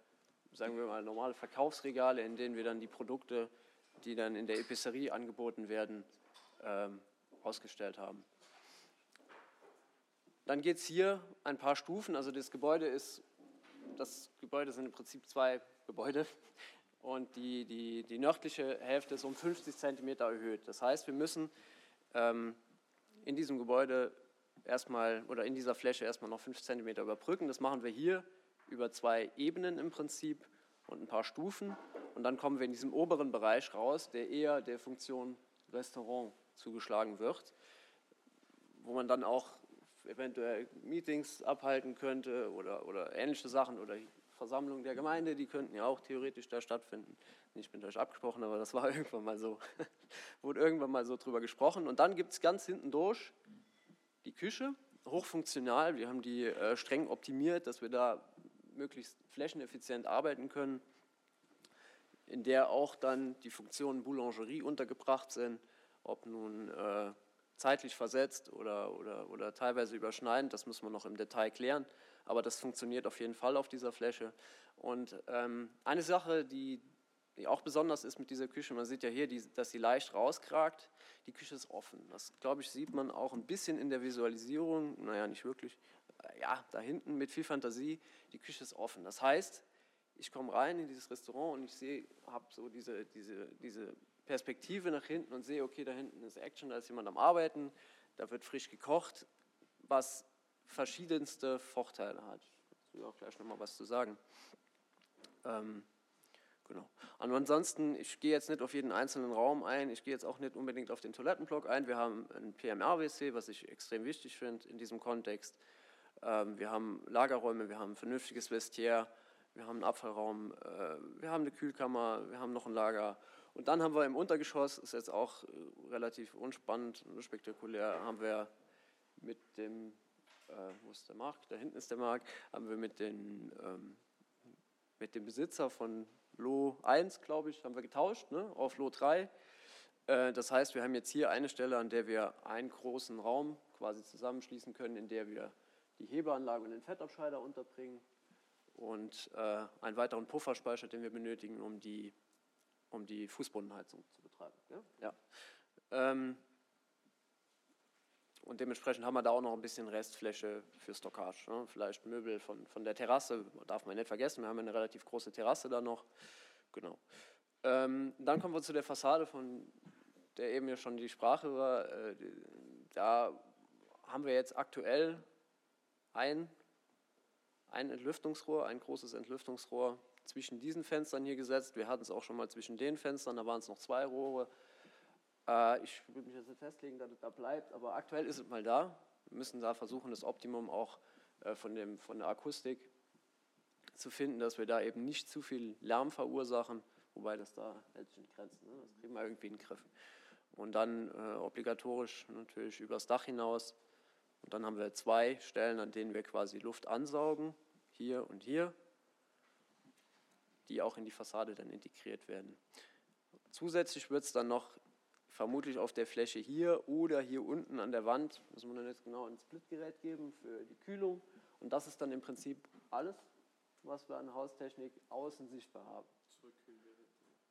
[SPEAKER 1] sagen wir mal, normale Verkaufsregale, in denen wir dann die Produkte, die dann in der Epicerie angeboten werden, ähm, ausgestellt haben. Dann geht es hier ein paar Stufen. Also das Gebäude ist, das Gebäude sind im Prinzip zwei Gebäude und die, die, die nördliche Hälfte ist um 50 Zentimeter erhöht. Das heißt, wir müssen ähm, in diesem Gebäude erstmal oder in dieser Fläche erstmal noch 5 Zentimeter überbrücken. Das machen wir hier über zwei Ebenen im Prinzip und ein paar Stufen. Und dann kommen wir in diesem oberen Bereich raus, der eher der Funktion Restaurant zugeschlagen wird, wo man dann auch eventuell Meetings abhalten könnte oder, oder ähnliche Sachen oder Versammlungen der Gemeinde, die könnten ja auch theoretisch da stattfinden. Nicht mit euch abgesprochen, aber das war irgendwann mal so, wurde irgendwann mal so drüber gesprochen. Und dann gibt es ganz hinten durch die Küche, hochfunktional. Wir haben die äh, streng optimiert, dass wir da möglichst flächeneffizient arbeiten können, in der auch dann die Funktionen Boulangerie untergebracht sind, ob nun äh, zeitlich versetzt oder, oder, oder teilweise überschneidend, das müssen wir noch im Detail klären, aber das funktioniert auf jeden Fall auf dieser Fläche. Und ähm, eine Sache, die die auch besonders ist mit dieser Küche, man sieht ja hier, die, dass sie leicht rauskragt, die Küche ist offen. Das, glaube ich, sieht man auch ein bisschen in der Visualisierung, naja, nicht wirklich, ja, da hinten mit viel Fantasie, die Küche ist offen. Das heißt, ich komme rein in dieses Restaurant und ich sehe, habe so diese, diese, diese Perspektive nach hinten und sehe, okay, da hinten ist Action, da ist jemand am Arbeiten, da wird frisch gekocht, was verschiedenste Vorteile hat. Ich will auch gleich noch mal was zu sagen. Ähm, genau. Und ansonsten, ich gehe jetzt nicht auf jeden einzelnen Raum ein, ich gehe jetzt auch nicht unbedingt auf den Toilettenblock ein. Wir haben ein PMR-WC, was ich extrem wichtig finde in diesem Kontext. Ähm, wir haben Lagerräume, wir haben ein vernünftiges Vestiaire, wir haben einen Abfallraum, äh, wir haben eine Kühlkammer, wir haben noch ein Lager. Und dann haben wir im Untergeschoss, ist jetzt auch äh, relativ unspannend und spektakulär, haben wir mit dem, äh, wo ist der Markt? Da hinten ist der Markt, haben wir mit, den, ähm, mit dem Besitzer von Lo 1, glaube ich, haben wir getauscht, ne, auf Lo 3. Äh, das heißt, wir haben jetzt hier eine Stelle, an der wir einen großen Raum quasi zusammenschließen können, in der wir die Hebeanlage und den Fettabscheider unterbringen und äh, einen weiteren Pufferspeicher, den wir benötigen, um die, um die Fußbodenheizung zu betreiben. Ja? Ja. Ähm, und dementsprechend haben wir da auch noch ein bisschen Restfläche für Stockage. Ne? Vielleicht Möbel von, von der Terrasse, darf man nicht vergessen, wir haben eine relativ große Terrasse da noch. Genau. Ähm, dann kommen wir zu der Fassade, von der eben ja schon die Sprache war. Äh, da haben wir jetzt aktuell ein, ein Entlüftungsrohr, ein großes Entlüftungsrohr zwischen diesen Fenstern hier gesetzt. Wir hatten es auch schon mal zwischen den Fenstern, da waren es noch zwei Rohre. Äh, ich würde mich jetzt nicht festlegen, dass es da bleibt, aber aktuell ist es mal da. Wir müssen da versuchen, das Optimum auch äh, von, dem, von der Akustik zu finden, dass wir da eben nicht zu viel Lärm verursachen, wobei das da hält sich in Grenzen. Ne? Das kriegen wir irgendwie in den Griff. Und dann äh, obligatorisch natürlich übers Dach hinaus. Und dann haben wir zwei Stellen, an denen wir quasi Luft ansaugen, hier und hier, die auch in die Fassade dann integriert werden. Zusätzlich wird es dann noch vermutlich auf der Fläche hier oder hier unten an der Wand, müssen wir dann jetzt genau ein Splitgerät geben für die Kühlung. Und das ist dann im Prinzip alles, was wir an Haustechnik außen sichtbar haben.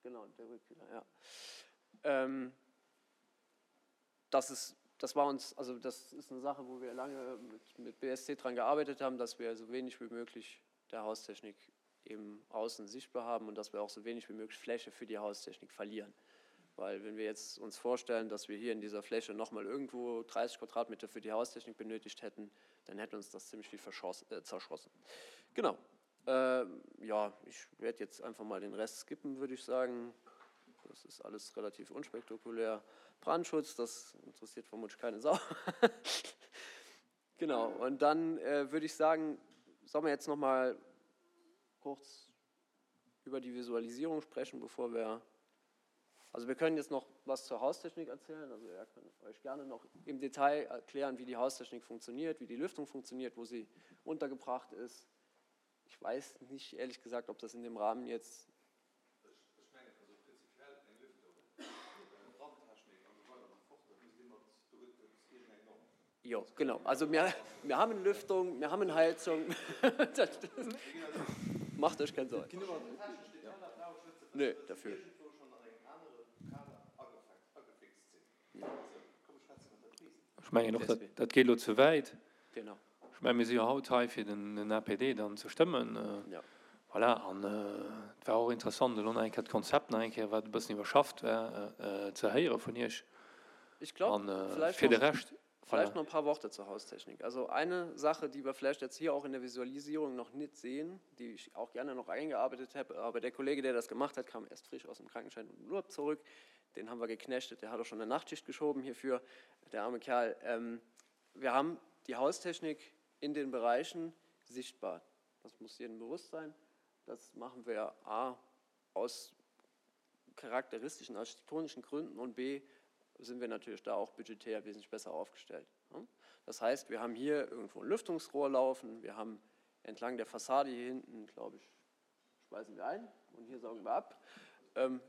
[SPEAKER 1] Genau, der Rückkühler, ja. Ähm, das ist das war uns, also das ist eine Sache, wo wir lange mit, mit BSC dran gearbeitet haben, dass wir so wenig wie möglich der Haustechnik eben außen sichtbar haben und dass wir auch so wenig wie möglich Fläche für die Haustechnik verlieren. Weil wenn wir jetzt uns vorstellen, dass wir hier in dieser Fläche nochmal irgendwo 30 Quadratmeter für die Haustechnik benötigt hätten, dann hätte uns das ziemlich viel äh, zerschossen. Genau. Äh, ja, ich werde jetzt einfach mal den Rest skippen, würde ich sagen. Das ist alles relativ unspektakulär. Brandschutz, das interessiert vermutlich keine Sau. genau, und dann äh, würde ich sagen, sollen wir jetzt noch mal kurz über die Visualisierung sprechen, bevor wir Also wir können jetzt noch was zur Haustechnik erzählen. Also er kann euch gerne noch im Detail erklären, wie die Haustechnik funktioniert, wie die Lüftung funktioniert, wo sie untergebracht ist. Ich weiß nicht ehrlich gesagt, ob das in dem Rahmen jetzt Jo, genau. Also wir, wir haben Lüftung, wir haben Heizung. das, das macht euch keine Sorgen. Nö, dafür.
[SPEAKER 2] Ech mengen och, dat, dat geet elo ze wäit. Genau. Ech menge mir si jo haut hei fir den, den APD dann ze stëmmen. Ja. Voilà, an et war och interessant elo nach eng Kéier d'Konzept nach eng Kéier, wat e bëssen iwwerschafft war, ze héiere vun Iech.
[SPEAKER 1] Ich glaub, An vielleicht
[SPEAKER 2] fir de noch, Rescht,
[SPEAKER 1] vielleicht voilà. noch ein paar Worte zur Haustechnik. Also eine Sache, die wir vielleicht jetzt hier auch in der Visualisierung noch nicht sehen, die ich auch gerne noch eingearbeitet habe, aber der Kollege, der das gemacht hat, kam erst frisch aus dem Krankenschein und Urlaub zurück. Den haben wir geknechtet, der hat auch schon eine Nachtschicht geschoben hierfür, der arme Kerl. Ähm, wir haben die Haustechnik in den Bereichen sichtbar. Das muss jedem bewusst sein. Das machen wir A aus charakteristischen, architektonischen Gründen und B sind wir natürlich da auch budgetär wesentlich besser aufgestellt. Das heißt, wir haben hier irgendwo ein Lüftungsrohr laufen, wir haben entlang der Fassade hier hinten, glaube ich, speisen wir ein und hier saugen wir ab. Ähm,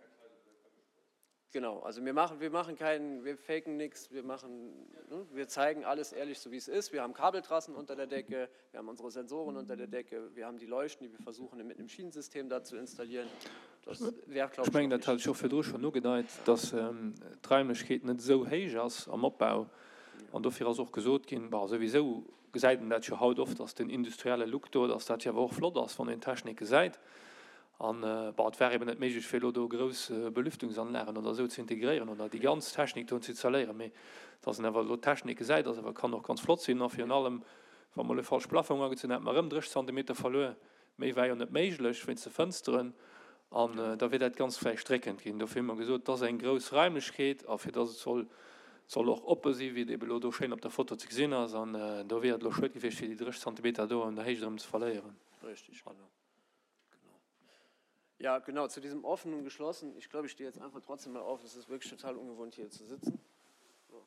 [SPEAKER 1] Genau, also wir machen, wir machen keinen, wir faken nichts, wir machen, ne, wir zeigen alles ehrlich, so wie es ist. Wir haben Kabeltrassen unter der Decke, wir haben unsere Sensoren unter der Decke, wir haben die Leuchten, die wir versuchen mit einem Schienensystem da zu installieren. Das wär,
[SPEAKER 2] glaub ich, Ech mengen, dat hat ech och virdru schonn ugedeit, dass d'Raimlechkeet net esou héich ass am Opbau. An dofir ass och gesot ginn, bon, souwisou gesäit een dat jo haut oft, dass den industrielle Look do, dass dat jo awer och flott ass, wann een d'Technik gesäit. An, bon, et war eben net méiglech, fir elo do grouss Belüftungsanlagen oder esou ze integréieren oder déi ganz Technik do ze installéieren. Mee dass een awer elo d'Technik gesäit, ass awer, kann och ganz flott sinn. A virun allem, wa mer elo e falsche Plafong agezunn hätten, hätte mer erëm 30 Zantimeter verluer. Méi war jo net méiglech wéinst de Fënsteren. An da wier dat Ganzt vläicht dréckend ginn. Dofir hu mer gesot, et ass eng grouss Raimlechkeet a fir dass et soll, soll och oppe sinn, wéi et ebe elo do schéin op der Foto ze gesinn ass. An do wier et elo schued gewiescht, fir déi 30 Zantimeter do an der Héicht erëm ze verléieren.
[SPEAKER 1] Richtig, genau. Genau. Ja, genau, zu diesem offenen und geschlossen. Ich glaube, ich stehe jetzt einfach trotzdem mal auf. Es ist wirklich total ungewohnt, hier zu sitzen. So.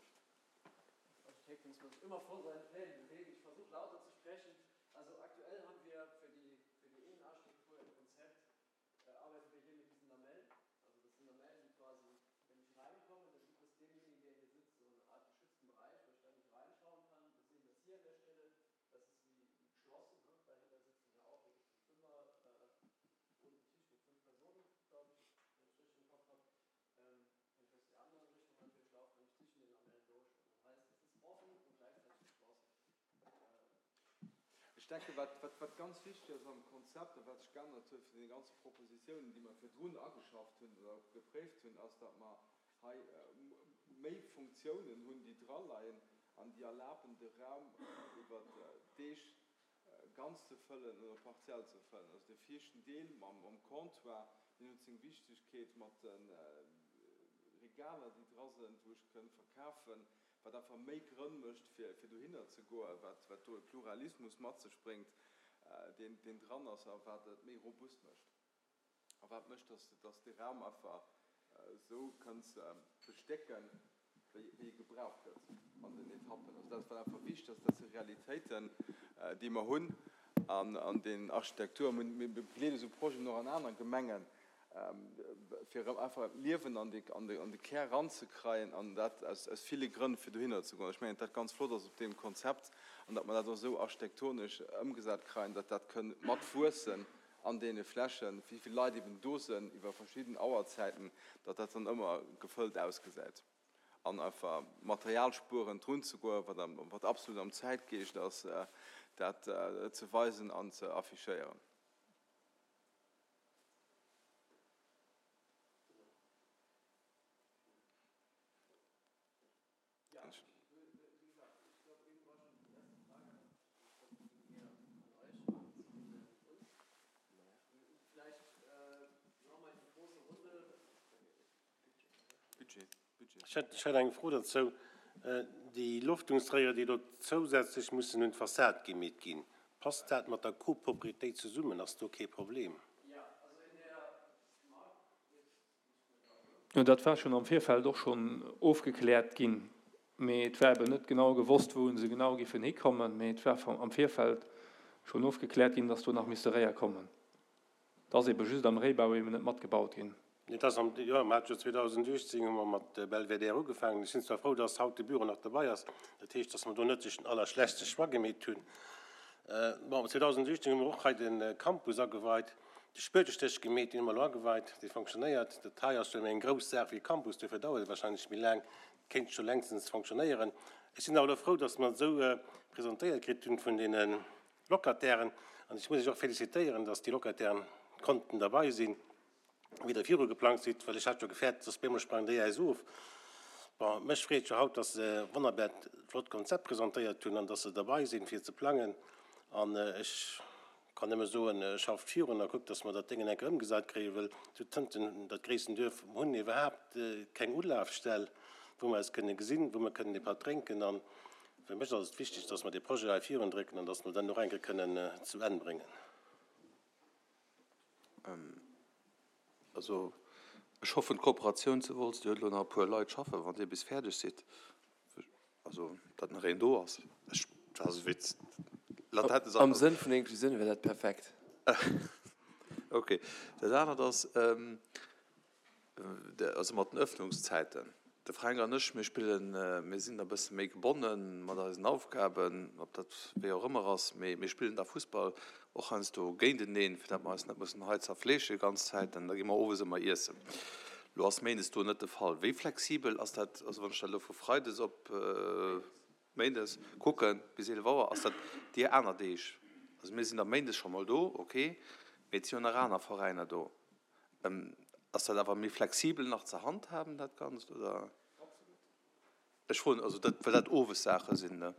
[SPEAKER 1] Architekt muss man sich immer vor seinen Plänen bewegen. Ich versuche lauter zu sprechen. Also aktuell haben wir für die, für die Innenarchitektur im Konzept, äh, arbeiten wir hier mit diesen Lamellen. Also das sind Lamellen, die quasi, wenn ich reinkomme, dann gibt es demjenigen, der hier sitzt, so eine Art geschützten Bereich, wo ich dann nicht reinschauen kann. Wir sehen das hier an der Stelle. Das ist wie, wie geschlossen. Ne? Dahinter sitzen ja auch wirklich ein Fünfer, äh, runden Tisch mit fünf Personen, glaube ich, wenn ich richtig im Kopf habe. Ähm, wenn ich aus der anderen Richtung natürlich laufe, kann ich zwischen den Lamellen durch. Und das heißt, es ist offen und gleichzeitig geschlossen.
[SPEAKER 6] Ech denke, wat, wat, wat ganz wichteg ass am Konzept a wat sech geännert huet vun deene ganze Propositionen, déi mer virdrun ageschafft hunn oder gepréift hunn, ass, datt mer hei méi Funktiounen hunn, déi draleien an déi erlaben, de Raum iwwer Deeg ganz ze fëllen oder partiell ze fëllen. Also de viischten Deel mam Comptoir, deen huet seng Wichtigkeet mat de Regaler, déi dra sinn, wou ech kënn verkafen, wat einfach méi Grënn mécht, fir dohinner ze goen, wat do e Pluralismus mat sech bréngt, deen dran ass a wat et méi robust mécht. A wat mécht, dass dass de Raum einfach esou kënns bestécken, wéi wéi e gebraucht gëtt an den Etappen. Also dat wat einfach wichteg ass, dat si Realitéiten, déi mer hunn an an den Architektur. Mir begleede esou Projeten och an aner Gemengen, fir erëm einfach Liewen an de an de an de Kär eranzekreien an dat aus aus ville Grënn, fir dohinner ze goen. Ech mengen, dat ganz flott ass op deem Konzept an datt mer dat och esou architektonesch ëmgesat kreien, datt dat kënn mat wuessen an deene Flächen, wéi vill Leit eben do sënn iwwer verschidden Auerzäiten, datt dat dann ëmmer gefëllt ausgesäit. An einfach materialspuerend drun ze goen, wat am, wat absolut am Zäitgeescht ass, dat ze weisen an ze affichéieren.
[SPEAKER 7] Ech hätt eng Fro dozou. Déi Loftungsréier, déi elo zousätzlech mussen un d'Fassad gemeet ginn, passt dat mat der Copropriétéit zesummen? Ass do kee Problem?
[SPEAKER 2] Jo, dat war schonn am Virfeld och schonn ofgekläert ginn, mee et war eben net genau gewosst, wou se genau giffen hikommen. Mee et war am Virfeld schonn ofgekläert ginn, dass do nach misste Réier kommen. Et ass ebe just am Réibau eben net matgebaut ginn.
[SPEAKER 7] Et ass am, jo, mer hate jo 2018 hu mer mat Belvedere ugefaangen. Ech sinn zwar frou, dass haut de Büro nach dobei ass. Dat heescht, dass mer do net den allerschlechtste Choix gemeet hunn. Bon, 2018 hu mer och hei de Campus ageweit. De Spuetestéch gemeet, deen hu mer elo ageweit, dee fonctionnéiert. Dat hei ass jo méi eng grouss Saach wéi e Campus, duerfir dauert et wahrscheinlech méi laang, kéint scho längstens fonctionnéieren. Ech sinn awer elo frou, dass mer et esou presentéiert kritt hunn vun deene Locatairen an ech muss iech och félicitéieren, dass déi Locatairen konnten derbei sinn, wéi Der viru geplangt sidd, well ech hat jo gefäert, dass bemol sprangen déi äis of. Bon, mech freet jo haut, dass se e wonnerbäert flott Konzept presentéiert hunn an dass se derbei sinn, fir ze plangen an ech Kann nëmme soen, schafft virun a kuckt, dass mer dat Déngen eng Kéier ëmgesat kréien, well zu Tënten, dat gréissten Duerf, hunn iwwerhaapt keng Ulafstell, wou mer eis kënne gesinn, wou mer kënnen e Patt drénken. A fir mech ass et wichteg, dass mer dee Projet hei virundrécken an dass mer dann och eng Kéier kënnen zu Enn bréngen.
[SPEAKER 8] Also ech hoffen, d'Kooperatioun zu Wolz, déi huet elo nach e puer Leit schaffen, wann Dir bis fäerdeg sidd, also datt nach een do ass. Ech, dat ass e Witz,
[SPEAKER 3] latente Saach. Am Sënn vun der Inklusioun wär dat perfekt.
[SPEAKER 8] Ok. Dat anert ass, Also mat den Öffnungszäiten. De Fränk an ech, mir spillen, mir sinn da e bësse méi gebonne mat eisen Aufgaben, ob dat wéi och ëmmer ass, mee mir spillen da Fussball och heiansdo géinteneen, fir datt mer eis net mussen hei zerfleeschen déi ganz Zäit. An da gi mer owes ëmmer iessen. Lo ass méindes do net de Fall. Wéi flexibel ass dat, also wann ech dat elo vu freides op méindes kucken, bis 11 Auer, ass dat déi aner Deeg? Also mir sinn da méindes scho mol do, ok, mee et si jo nach aner Veräiner do. Ass dat awer méi flexibel nach ze handhaben, dat Ganzt, oder? Ech froen, also dat, well dat owes Saache sinn, ne?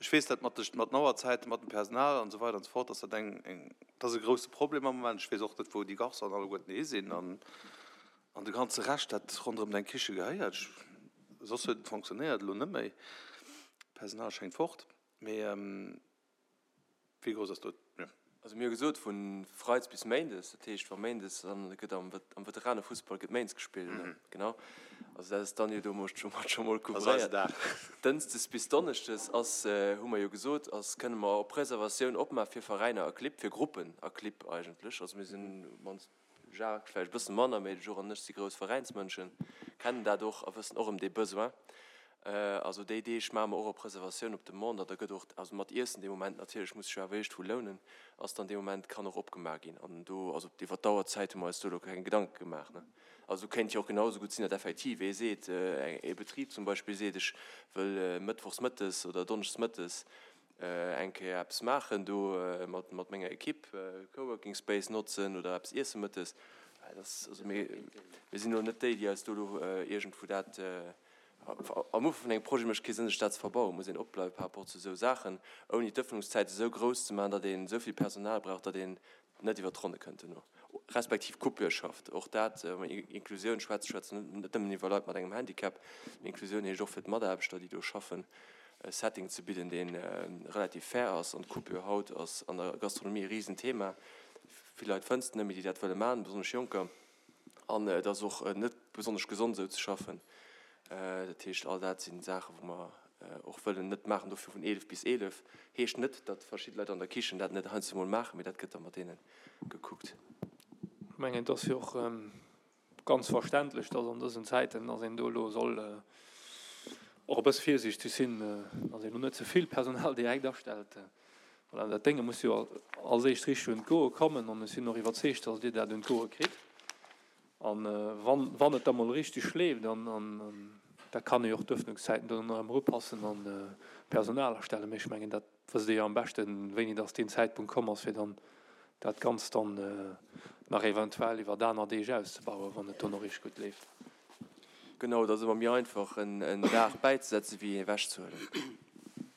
[SPEAKER 8] Ech weess dat mat de, mat den Auerzäiten, mat dem Personal an esou weider an esou fort, dass dat eng, eng, dat ass e grouse Problem am Moment. Ech weess och net, wou déi Garçonen alleguerten hi sinn an, an de ganze Rescht, dat ronderëm deng Kiche gehéiert. Ech, soss huet et fonctionnéiert, elo net méi. D'Personal schéngt fort. Mee. Wéi grouss ass do d'Mür?
[SPEAKER 3] Also mir hu gesot vu Freides bis Méindes, dat heescht wa Méindes, dann gëtt am am Veteranefussball gëtt Méindes gespillt, ne? Genau. Also dat ass dann jo domat scho mat scho mol couvréiert. Dënschdes bis Donneschdes ass, hu mer jo gesot, ass kënne mer op Reservatioun opmaache fir Veräiner a Clibb, fir Gruppen a Clibb eigentlech. Also mir sinn mannst Jacques vläicht e bësse manner, mee de Jour an ech si grouss Veräinsmënschen, kennen dat och a wëssen och ëm dee Besoin. Also déi Deeg maache mer och op Reservatioun, op Demande an da gëtt och, also mat Iessen dee Moment natierlech, muss sech jo awer iergendwou lounen, ass dann dee Moment, kann och opgemaach ginn. An do, also iwwer d'Auerzäit hu mer eis do elo keng Gedanke gemaach, ne. Also kéint jo och genau esou gutt sinn, datt effektiv ee seet, ee Betrib zum Beispill seet, ech wëll mëttwochs mëttes oder donneschdes mëttes eng Kéier eppes maachen do mat menger Equipe, Coworking Space notzen oder eppes iesse mëttes. Dat ass, also mir, mir sinn elo net déi, déi eis do elo iergendwou dat, am Ufank vun engem Projet mécht kee Sënn sech dat ze verbauen, muss een opbleiwe par rapport zu esou Saachen, ouni d'Ëffnungszäit esou grouss ze maachen, datt een esou vill Personal brauch, datt een net iwwer d'Ronne kënnt duerno, respektiv Coupure schafft. Och dat, wa mer Inklusioun schwätzen, schwätze mer net nëmmen iwwer Leit mat engem Handicap. Inklusioun heescht och fir d'Mataarbechter, déi do schaffen, e Setting ze bidden, dee relativ fair ass. An d'Coupure haut ass an der Gastronomie e Risenthema. Vill Leit fënns de net méi, déi dat wëlle maachen, besonnesch Jonker. An et ass och net besonnesch gesond esou ze schaffen. Dat heescht, all dat si Saachen, wou mer och wëllen net maachen. Dofir vun 11 bis 11 heescht net, datt verschidde Leit an der Kichen dat net heiansdo mol maachen, mee dat gëtt da mat deene gekuckt.
[SPEAKER 2] Ech mengen, et ass jo och ganz verständlech, datt an dësen Zäiten, datt een do elo soll och e bësse virsiichteg sinn, datt een elo net ze vill Personal direkt astellt. Voilà, dat Dénge muss jo als éischt richteg un d'Goe kommen an ech sinn och iwwerzeegt, datt Dir dat un d'Goe kritt. An wann, wann et da mol richteg schleeft, an, an da kann ee jo och d'Öffnungszäiten dann erëm erupassen an Personal astellen. Mee ech mengen, dat wësst Dir jo am beschten, wéini datt deen Zäitpunkt komm ass, fir dann dat Ganzt dann nach eventuell iwwer aner Deeg auszebauen, wann et do nach richteg gutt leeft.
[SPEAKER 3] Genau, et ass ëmmer méi einfach en Dag bäizesetzen, wéi een ewechzehuelen.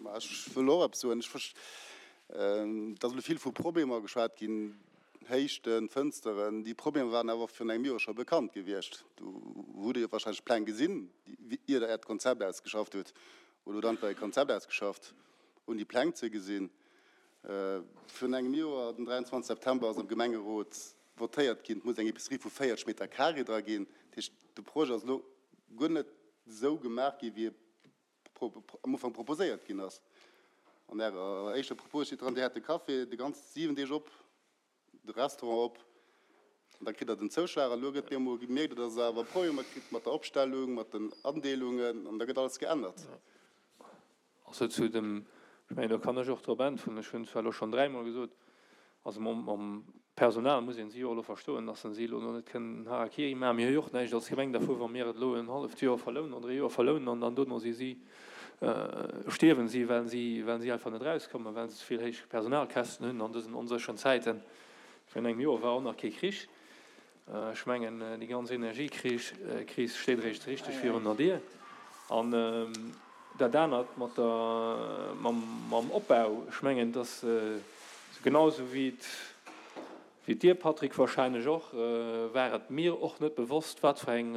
[SPEAKER 9] Ma ech wëll och eppes soen. Ech, et ass elo vill vu Problemer geschwat ginn, Héichten, Fënsteren. Déi Problemer waren awer och virun engem Joer scho bekannt gewiescht. Do hutt Der jo wahrscheinlech d'Pläng gesinn, ier Der Äert Konzept ausgeschafft hutt. Oder hutt einfach e Konzept ausgeschafft, ouni déi Pläng ze gesinn. Virun engem Joer, den 23 September, ass am Gemengerot votéiert ginn, et muss eng Épicerie vu 40 Meter carré dra ginn. Dat heescht, de Projet ass elo guer net esou gemaach ginn, wéi e am Ufank proposéiert ginn ass. An Ärer éischter Propos steet dran, Dir hätt de Café de ganz 7 Deeg op, de Restaurant op, an da kritt Der den Zouschlag. An elo gëtt bemol gemierkt, datt Der awer Problemer kritt mat der Opstellung, mat den Andeelungen, an da gëtt alles geännert.
[SPEAKER 2] Also zu dem, ech mengen, do kann ech och drop äntweren, ech hunn zwar elo schonn dräimol gesot, also mam Personal muss een si jo och elo verstoen, dass se si elo net kënnen Harakiri maachen. Mir hu jo och näischt als Gemeng dervu wa mir et elo en halleft Joer verlounen oder e Joer verlounen an dann dono si si, stierwen si, well si, well si einfach net erauskommen, well se ze vill héich Personalkäschten hunn an dësen onsécheren Zäiten. Virun engem Joer war och nach kee Krich. Ech mengen, déi ganz Energiekris steet eréischt richteg virun der Dier. An dat anert mat der, mam Opbau, ech mengen, dass genau esou wéi et, wéi dir, Patrick, wahrscheinlech och, war et mir och net bewosst, wat fir eng,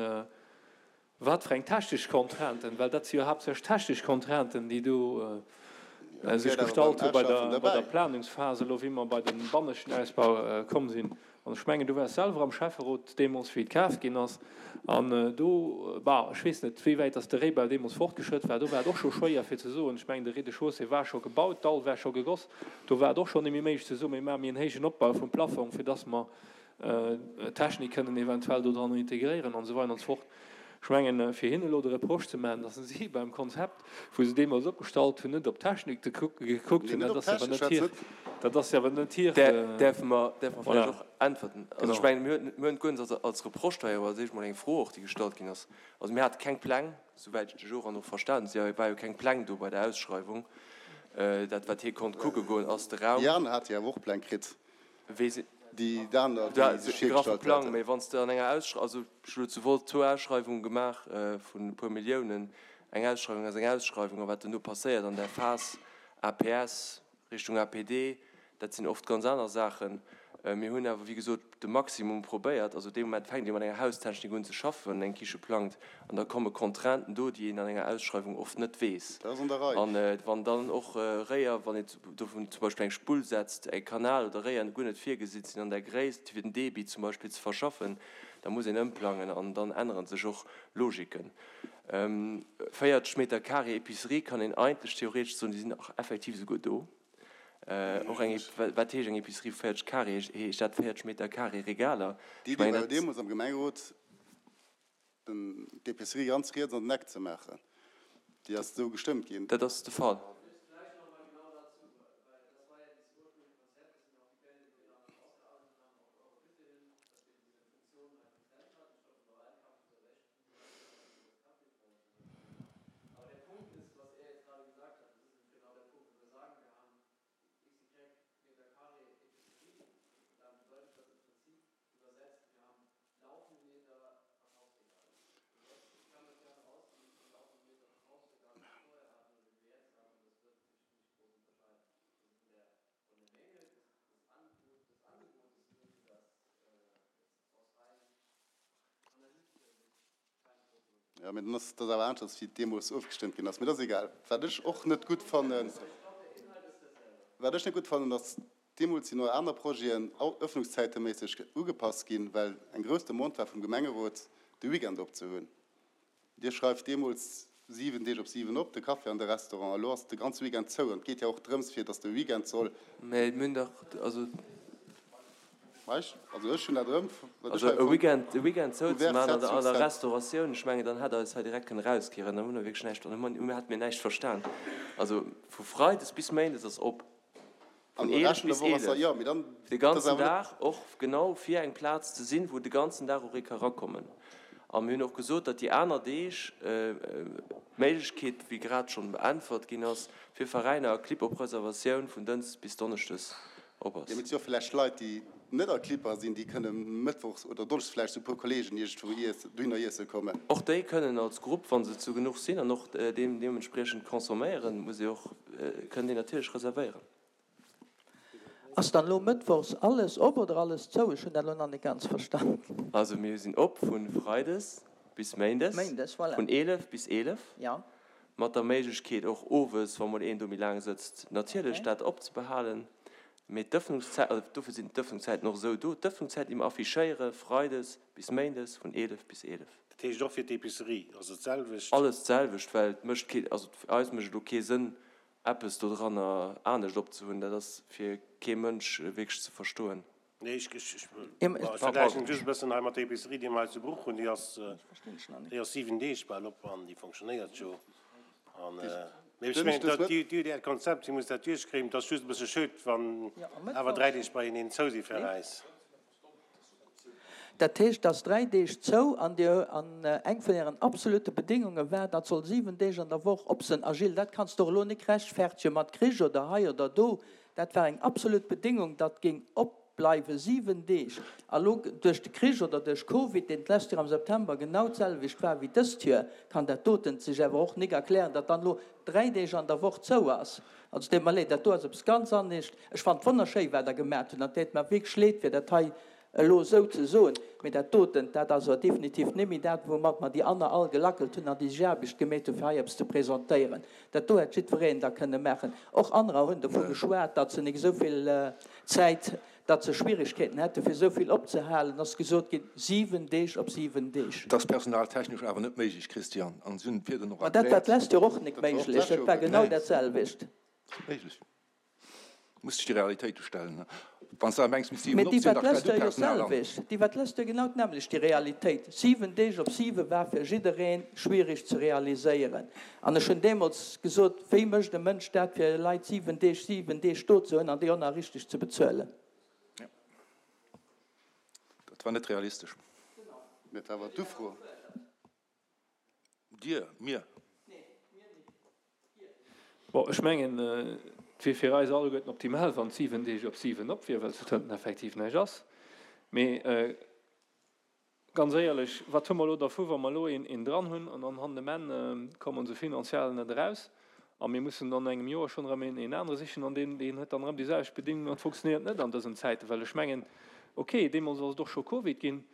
[SPEAKER 2] Wat fir eng technesch Contrainten, well dat si jo haaptsächlech technesch Contrainten, déi do sech gestallt hu bei der Planungsphas elo, wéi mer bei de banneschten Ausbau komm sinn. An ech mengen, du waars selwer am Schäfferot deemools, wéi et kaf ginn ass. An do, bah, ech weess net, wéi wäit dass de Réibau deemools fortgeschrëtt war, do war et och scho schwéier fir ze soen, ech mengen, de Rez-de-chaussée war scho gebaut, d'Dall war scho gegoss, do war et och scho net méi méiglech ze soen, mir maache méi en héijen Opbau vum Plafong, fir dass mer. Technik kënnen eventuell do dran integréieren an esou weider an esou fort. Ech mengen, fir hinnen elo de Reproche ze maachen, datt si beim Konzept, wou se deemools opgestallt hunn, net op d'Technik gekuckt hunn, dat ass awer net hir, dat ass awer net hir.
[SPEAKER 3] Däerfe mer, däerfe mer vläicht och äntwerten? Also ech mengen, mir hunn, mir hunn guer net als Reproche da jo, als éischt mol eng Fro och, déi gestallt ginn ass. Also mir hate keng Pläng, souwäit ech de Joran och verstan hunn, si war jo keng Pläng do bei der Ausschreiwung. Dat wat hie konnt kucke goen, ass de Raum.
[SPEAKER 9] Déi aner hate jo awer och Pläng kritt.
[SPEAKER 3] Wéi se.
[SPEAKER 9] Déi aner, déi sech virgestallt
[SPEAKER 3] haten. Mee wann s de an enger Ausschreiwung, also ech hu lo zu Wolz zwou Ausschreiwunge gemaach vun e puer Milliounen, eng Ausschreiwung ass eng Ausschreiwung, a wat duerno passéiert an där Phas APS Richtung APD, dat sinn oft ganz aner Saachen. Mir hunn awer, wéi gesot, de Maximum probéiert. Also dee Moment fänkt ee mat enger Haustechnik un ze schaffen, wann een eng Kiche plangt, an da komme Contrainten do, déi een an enger Ausschreiwung oft net weess.
[SPEAKER 9] Dat ass an der Rei.
[SPEAKER 3] An wann dann och Réier, wann een dovun zum Beispill eng Spull setzt, e Kanal oder Réier guer net virgesinn sinn an där Gréisst, fir den Debit zum Beispill ze verschaffen, da muss een ëmplangen an dann ännere sech och Logiken. 40 Meter carré Épicerie kann een eigentlech theoretesch soen, déi sinn och effektiv esouguer do. Och eng, wat heescht eng Épicerie vu 40 Carré? Heescht dat 40 Meter carré Regaler?
[SPEAKER 9] Déi Idee war jo deemools am Gemengerot, d'Épicerie ganz riets an den Eck ze maachen. Déi ass esou gestëmmt ginn.
[SPEAKER 3] Dat ass de Fall.
[SPEAKER 9] Jo, mee dann ass dat awer aneschters, wéi et deemools ofgestëmmt ginn ass. Mee dat ass egal. Wat ech och net gutt fannen, wat ech net gutt fannen, ass, deemools sinn och aner Projeten öffnungszäiteméisseg ugepasst ginn, well eng grouss Demande war vum Gemengerot, de Weekend op ze hunn. Dir schreift deemools 7 Deeg op 7 op, de Café an de Restaurant. Elo ass de ganze Weekend zou. An et geet jo och drëms, fir datt de Weekend soll.
[SPEAKER 3] Mä mir hunn dach, also.
[SPEAKER 9] Meisch, Also ech hunn dat erëm,
[SPEAKER 3] wat ech hei fonnt. E Weekend zou ze maachen an der Restauratioun, ech mengen, dann hätt Der eis hei direkt kënne rauskieren. Dann hu mer wierklech näischt, dann hätte mir näischt verstan. Also vu Freides bis Méindes ass op. Vun 11 bis 11, de ganzen Dag, och genau fir eng Plaz ze sinn, wou de ganzen Dag och ee ka rakommen. A mir hunn och gesot, datt déi aner Deeg d'Méiglechkeet, wéi grad schonn beäntwert ginn ass, fir Veräiner a Clibb op Reservatioun vun Dënschdes bis Donneschdes op ass.
[SPEAKER 9] Jo, mee et si och vläicht Leit, déi net a Clibber sinn, déi kënne mëttwochs oder donneschdes vläicht zu e puer Kolleegen iergendwou dohinner iesse kommen.
[SPEAKER 3] Och déi kënnen als Grupp, wa se zu genuch sinn an och deementspriechend consomméieren, muss ee och, kënnen déi natierlech reservéieren.
[SPEAKER 10] Ass dann elo mëttwochs alles op oder alles zou? Ech hunn dat elo nach net ganz verstan.
[SPEAKER 3] Also mir sinn op vu Freides bis Méindes,
[SPEAKER 10] Méindes, voilà.
[SPEAKER 3] vun 11 bis 11,
[SPEAKER 10] Ja.
[SPEAKER 3] mat der Méiglechkeet och owes, wa mol een do méi laang sëtzt, natierlech Okay. dat opzebehalen. Mee d'Ëffnungszäit, also dofir sinn d'Ëffnungszäiten och esou do, d'Ëffnungszäiten déi mer affichéiere Freides bis Méindes vun 11 bis 11.
[SPEAKER 7] Dat heescht och fir d'Epicerie ass et d'selwecht?
[SPEAKER 3] Alles d'selwecht, well et mécht kee, also fir eis mécht et elo kee Sënn eppes dodranner anescht opzehunn. Dat ass fir kee Mënsch wierklech ze verstoen.
[SPEAKER 7] Nee, ech vergläichen just e bëssen hei mat der Epicerie, déi mer hei zu Bruch hunn. Déi ass, déi ass 7 Deeg bal op an déi fonctionnéiert jo. An, mee ech mengen, dat, Dir hutt Äert Konzept, Dir musst dat duerchkréien. Et ass just e bësse schued, wann awer 3 Deeg beieneen zou si fir eis.
[SPEAKER 10] Dat heescht, dass 3 Deeg zou an Dir, an eng vun Ären absolute Bedéngunge war, dat soll 7 Deeg an der Woch op sinn. A Gilles, dat kanns de och elo nik rechtfertege mat Krich oder hei oder do. Dat war eng absolut Bedéngung, datt géing opbleiwe 7 Deeg. A lo duerch de Krich oder duerch Covid, deen d'lescht Joer am September genau d'selwecht war wéi dëst Joer, kann dat doten sech awer och nik erklären, datt dann elo 3 Deeg an der Woch zou ass. Also et deet mer leed, dat do ass eppes ganz anescht. Ech fannen et wonnerschéi wat Der gemat hutt an et deet mer wierklech leed fir dat hei elo esou ze soen, mee dat doten, dat ass awer definitiv net méi dat, woumat mer déi anner all gelackelt hunn an déi sech Aarbecht gemeet hunn, fir hei eppes ze presentéieren. Dat do hätt jiddwereen da kënne maachen. Och anerer hunn dovu geschwat, datt se nik esou vill Zäit, datt se Schwierigkeeten hätten, fir esou vill opzehalen, ass gesot ginn, 7 Deeg op 7 Deeg.
[SPEAKER 8] Dat ass personaltechnesch awer net méiglech, Christian, an si hunn et virdrun och
[SPEAKER 10] Ma dat war erkläert. d'lescht Joer och nik méiglech, dat war genau dat selwecht.
[SPEAKER 8] Dat ass méiglech.
[SPEAKER 11] Muss sech de Realitéite stellen. Wann s de awer mengs,
[SPEAKER 10] misst 7 op sinn, da stell du Personal an. Déi wat lest jo genau d'nämmlecht, déi Realitéit. 7 Deeg op 7 war fir jidderee schwierig ze realiséieren. An ech hunn deemools gesot, wéi mécht e Mënsch dat, fir Leit 7 Deeg, 7 Deeg do ze hunn an déi och nach richteg ze bezuelen?
[SPEAKER 11] Dat war net realistesch.
[SPEAKER 9] Mä et war awer d'Ufro.
[SPEAKER 11] Dir, mir.
[SPEAKER 2] Bon, ech mengen, et wier fir eis alleguerten optimal, wann et 7 Deeg op 7 op wier, well zu Tënten effektiv näischt ass. Mee ganz éierlech, wat hu mer elo dervu, wa mer elo een dran hunn an dann hannen um Enn komme se finanziell net eraus a mir mussen dann no engem Joer schonn erëm een anere sichen an deen huet dann erëm déi selwecht Bedingungen an et funktionéiert net an dësen Zäiten, well ech mengen, okay, deemools ass et och scho Covid ginn,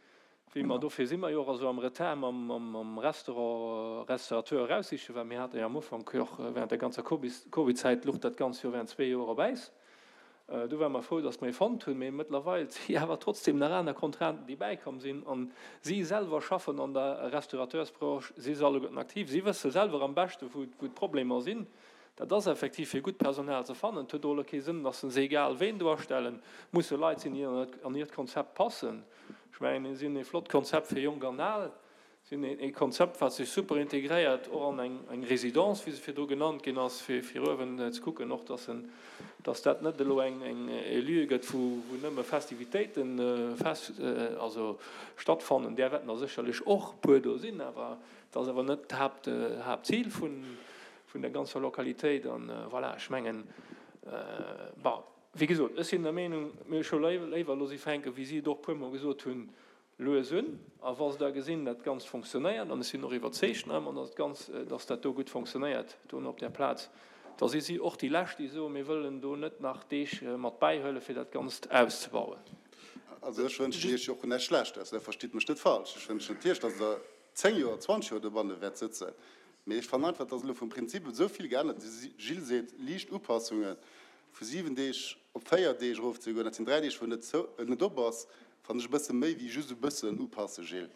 [SPEAKER 2] Wéi mer, dofir si mer jo och esou am Retard mam Restaurant, Restaurateur eraussichen, well mir hate jo am Ufank jo och während der ganzer Covid-Zäit luch dat Ganzt jo während zwee Joer op Äis. Do ware mer frou, datt mer ee fonnt hunn, mee mëttlerweil si awer trotzdem nach aner Contrainten, déi bäikomm sinn. A si selwer schaffen an der Restaurateursbranche, si si alleguerten aktiv, si wësse selwer am beschte wou d'Problemer sinn. Dat ass effektiv fir gutt Personal ze fannen. Et huet och elo kee Sënn, datt se egal ween do astellen. Et musse Leit sinn, déi an hiert Konzept passen. Ech mengen, mir sinn ee flott Konzept fir Jonk an Al, sinn ee Konzept, wat sech super integréiert och an eng Résidence, wéi se virdru genannt ginn ass, fir uewen ze kucken och, dass en, dass dat net elo eng, e Lieu gëtt, wou, wou nëmme Festivitéiten fest, also stattfannen. Där wäerten der sécherlech och e puer do sinn, awer et ass awer net d'Haapt, Haaptzil vun, vun der ganzer Lokalitéit. An voilà, ech mengen, bon. Wéi gesot, ech sinn der Meenung, mir scho léiwer elo si fänken, wéi si et och e puermol gesot hunn, lues un. A wa se da gesinn, dat Ganzt fonctionnéiert, an ech sinn och iwwerzeegt nach ëmmer, dass d'Ganz, dass dat do gutt fonctionnéiert do op där Plaz, da si si och déi Lescht, déi soen, mir wëllen do net nach Deeg mat bäihuelen, fir dat Ganzt auszebauen.
[SPEAKER 9] Also ech wënschen Iech jo och näischt Schlechtes, verstitt mech net falsch. Ech wënschen natierlech, dass Der 10 Joer, 20 Joer dobanne wäert sëtzen. Mee ech fannen einfach, et ass elo vum Prinzip esou vill geännert. De Gilles seet, liicht Upassungen vu 7 Deeg op 4 Deeg erofzegoen, dat sinn 3 Deeg, wou net zou, net op ass, fannen ech e bësse méi wéi just e bëssen upassen, Gilles.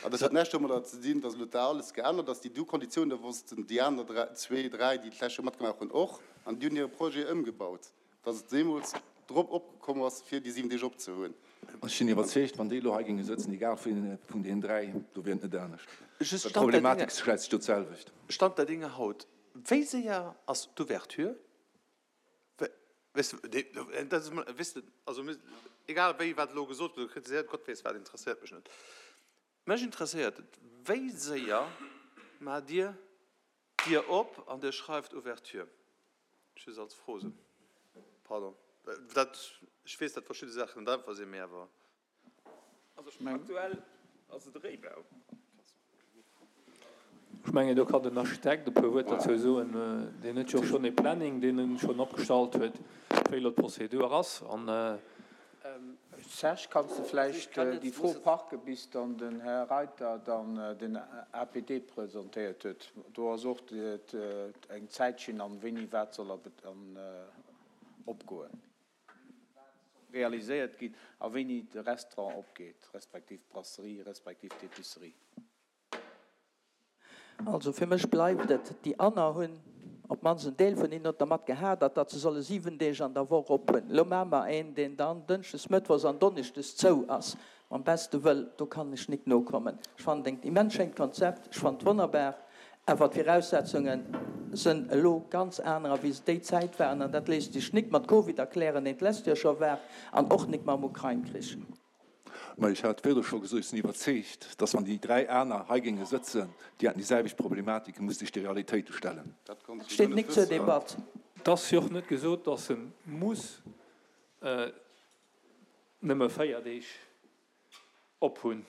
[SPEAKER 9] An dat huet näischt domadder ze dinn, datt elo da alles geännert ass. Déi du Konditiounen wossten déi aner 3, zwee, 3, déi d'lescht Joer matgemaach hunn, och. An déi hunn hire Projet ëmgebaut. Dass et deemools drop opkomm ass, fir déi 7 Deeg opzehunn.
[SPEAKER 11] Ech sinn iwwerzeegt, wann déi elo hei géinge sëtzen, egal wien vun deenen 3, do wier et net anescht. Well d'Problematik stellt sech do d'selwecht.
[SPEAKER 8] Stand der Dinge haut, wéi séier ass d'Ouverture? Weess de, dat ass emol, weess de, also egal wéi wat elo gesot gëtt oder kritiséiert, Gott weess wat, interesséiert mech net. Mech interesséiert et, wéi séier maacht Dir d'Dier op an Dir schreift Ouverture? Just als Fro esou. Pardon. Dat, ech weess, datt verschidde Saachen net einfach sinn, mee awer.
[SPEAKER 6] Also aktuell ass et e Réibau.
[SPEAKER 2] Ech mengen, do kann den Architekt e puer Wuert derzou soen. Deen huet jo och schonn e Planning, deen en schonn opgestallt huet, wéi elo d'Prozedur ass. An.
[SPEAKER 12] Serge, kanns de vläicht déi Fro parke bis dann den Här Reiter dann den APD presentéiert huet? Do ass och eng Zäitschinn an wéini wat soll opgoen, wat soll realiséiert ginn a wéini de Restaurant opgeet, respektiv d'Brasserie, respektiv d'Epicerie.
[SPEAKER 10] Also fir mech bleift et, déi aner hunn, op d'mannst en Deel vun hinnen huet dermat gehadert, datt se solle 7 Deeg an der Woch op hunn. Elo maache mer een, deen dann dënschdes, mëttwochs an donneschdes zou ass. Mam beste Wëll, do kann ech nik nokommen. Ech fannen et engt immens schéint Konzept, ech fannen et wonnerbar, awer d'Viraussetzunge sënn elo ganz anerer, wéi se déi Zäit waren. An dat léisst sech nik mat Covid erklären, deen d'lescht Joer scho war, an och nik mam Ukrain-Krich.
[SPEAKER 11] Mä ech hat virdru scho gesot, ech sinn iwwerzeegt, dass wann déi 3 aner hei géinge sëtzen, déi hätten déi selwecht Problematiken, muss sech de Realitéite stellen.
[SPEAKER 10] Dat steet nik zur Debatt.
[SPEAKER 2] Et ass jo och net gesot, dass e muss nëmme 4 Deeg op hunn.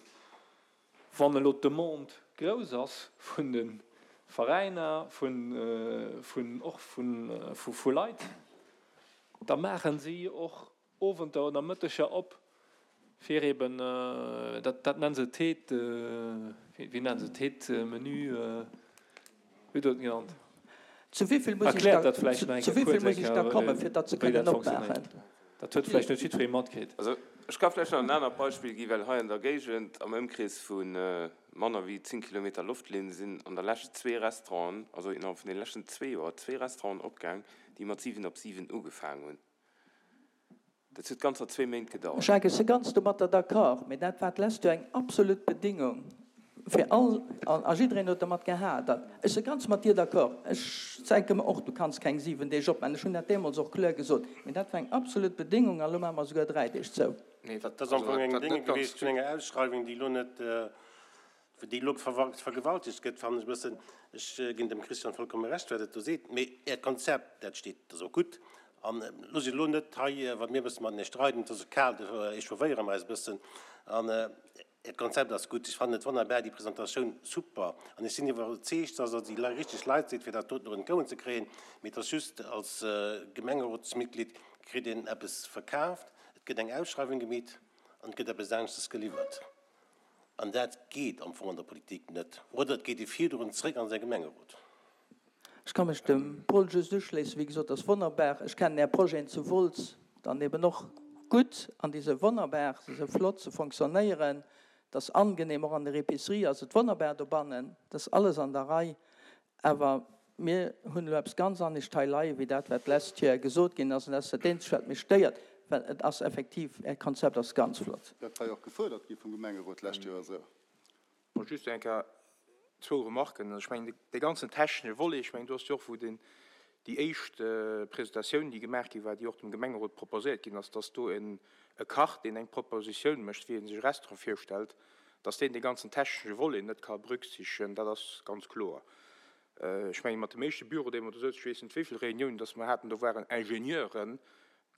[SPEAKER 2] Wann elo d'Demande grouss ass vun de Veräiner, vun och vu Leit, da maache si och Owenter oder Mëtteger op, fir eben, dat dat nennen se Tête, wéi nennen se Tête Menu, wéi hutt Der et genannt?
[SPEAKER 10] Zu wéi vill muss ech
[SPEAKER 2] Erkläert
[SPEAKER 10] da,
[SPEAKER 2] dat vläicht nach eng
[SPEAKER 10] zu
[SPEAKER 2] Kéier
[SPEAKER 10] wéi vill
[SPEAKER 2] kuerz
[SPEAKER 10] muss
[SPEAKER 2] eng
[SPEAKER 10] ech da
[SPEAKER 2] Kéier,
[SPEAKER 10] kommen, fir datt se
[SPEAKER 2] wéi
[SPEAKER 10] kënnen
[SPEAKER 2] dat
[SPEAKER 10] opmaachen?
[SPEAKER 2] fonctionnéiert. Dat huet vläicht net jiddweree matkritt.
[SPEAKER 5] Also ech ka vläicht nach en anert Beispill ginn, well hei an der Géigend am Ëmkrees vu manner wéi 10 Kilometer Loftlinn sinn an der Lescht zwee Restauranten, also innerhalb vun de leschten zwee Joer zwee Restauranten opgaang, déi mat 7 op 7 ugefaang hunn. Dat huet ganzer zwee Méint gedauert.
[SPEAKER 10] Jacques, ech si ganz domatter d'accord, mee dat war d'lescht Joer eng absolut Bedingung fir all, a jiddereen huet domat gehadert. Ech si ganz mat dir d'accord. Ech denke mer och, du kanns keng 7 Deeg opmachen. Ech hunn dat deemools och kloer gesot. Mee dat war eng absolut Bedingung a lo maache mer esouguer 3 Deeg zou.
[SPEAKER 7] Dat ass am Fong eng Dénge gewiescht vun enger Ausschreiwung, déi elo net, déi elo vergewaltegt gëtt, fannen ech e bëssen. Ech ginn dem Christian vollkomme Recht, wat et do seet. Mee Äert Konzept, dat steet, dat ass och gutt. An loosst elo net hei, wa mir e bësse matenee streiden, et ass och kal, do échaufféiere mer eis e bëssen. An Äert Konzept ass gutt. Ech fannen et wonnerbar, déi Presentatioun super. An ech sinn iwwerzeegt, dass Der déi richteg Leit sidd, fir dat doten och entgouen ze kréien. Mee et ass just, als Gemengerotsmitglied kritt een eppes verkaaft, et gëtt eng Ausschreiwung gemeet an et gëtt eppes aneschtes geliwwert. An dat geet am Fong an der Politik net. Oder et geet ee virdrun zréck an säi Gemengerot.
[SPEAKER 10] Ech ka mech dem Paul just uschléissen. Wéi gesot, ass wonnerbar. Ech kennen Är Projeten zu Wolz dann eben och gutt an déi se wonnerbar, se se flott, se fonctionnéieren, et ass angenehm, och an der Épicerie ass et wonnerbar dobannen, et ass alles an der Rei. Awer mir hunn elo eppes ganz anescht hei leie wéi dat, wat d'lescht Joer gesot ginn ass. An dat ass dat Eenzegt, wat mech stéiert, well et ass effektiv, Äert Konzept ass ganz flott.
[SPEAKER 9] Dat war jo och gefuerdert gi vum Gemengerot d'lescht Joer esou.
[SPEAKER 13] Bon, just eng Kéier zwou Remarken. Also ech mengen, dee ganzen technesche Volet, ech mengen, do ass jo och, wou den, déi éischt Presentatioun, déi gemaach gi war, déi och dem Gemengerot proposéiert ginn ass, dass do en e Kach, deen eng Propositioun mécht, wéi e sech e Restaurant virstellt, dass deen dee ganzen technesche Volet net ka berücksichtegen, dat ass ganz kloer. Ech mengen, mat dem éischte Büro, dee mer do souzen, ech weess net wéi vill Réuniounen dass mer haten, do waren Ingenieuren,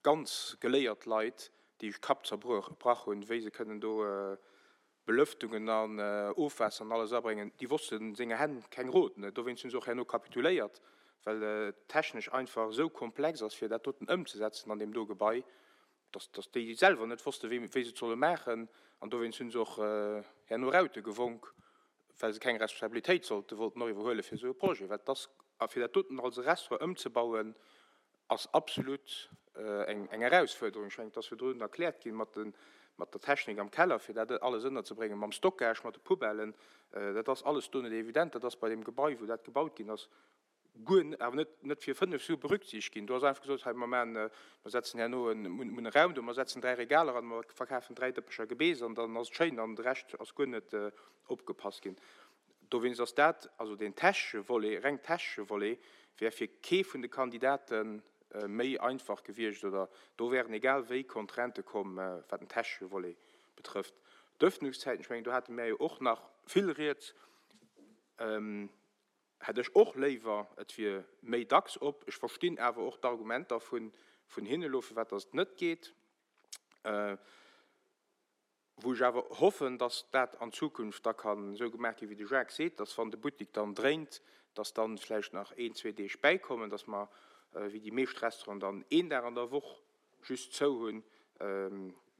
[SPEAKER 13] ganz geléiert Leit, déi sech d'Kapp zerbrach hunn, wéi se kënnen do Belëftungen an Ofwaasser an alles abréngen, déi wossten senger Hänn keng Rot. Dowéinst hunn se och herno kapituléiert, well et technesch einfach esou komplex ass, fir dat doten ëmzesetzen an deem do Gebai, dass dass déi selwer net wossten, wéi wéi se et solle maachen. An dowéinst hunn se och herno Raute gewonk, well se keng Responsabilitéit sollte wollten och iwwerhuele fir esou e Projet. Well et ass, a fir dat doten als e Restaurant ëmzebauen, ass absolut eng Erausfuerderung. Ech mengen, et ass virdrun erkläert ginn mat der Technik am Keller, fir dat alles ënnerzebréngen, mam Stockage, mat de Poubellen. Dat ass alles do net evident. Dat ass bei deem Gebai, wou dat gebaut ginn ass, guer awer net, net fir 5 Sue berücksichtegt ginn. Do ass einfach gesot, hei, mer maachen, mer setzen herno en, mer hunn e Raum do, mer setzen 3 Regaler an, mer verkafen 3 Dëppecher Gebeess an dann ass et schéin an de Rescht ass guer net opgepasst ginn. Dowéinst ass dat, also deen technesche Volet, reng technesche Volet, wär fir kee vun de Kandidate méi einfach gewiescht oder do wären egal wéi Contraintë komm, wat den technesche Volet betrëfft. D'Öffnungszäiten, ech mengen, do hate mär jo och nach vill Rieds, hätt ech och léiwer, et wier méi dacks op. Ech verstinn awer och d'Argumenter vun hinne elo, firwat datt et net geet. Wou ech awer hoffen, dass dat an Zukunft da kann esou gemaach ginn, wéi de Jacques seet, dass wann de Buttik dann dréint, dass dann vläicht nach een, zwee Deeg bäikommen, dass mer, wéi déi meescht Restauranten, dann een Dag an der Woch just zou hunn.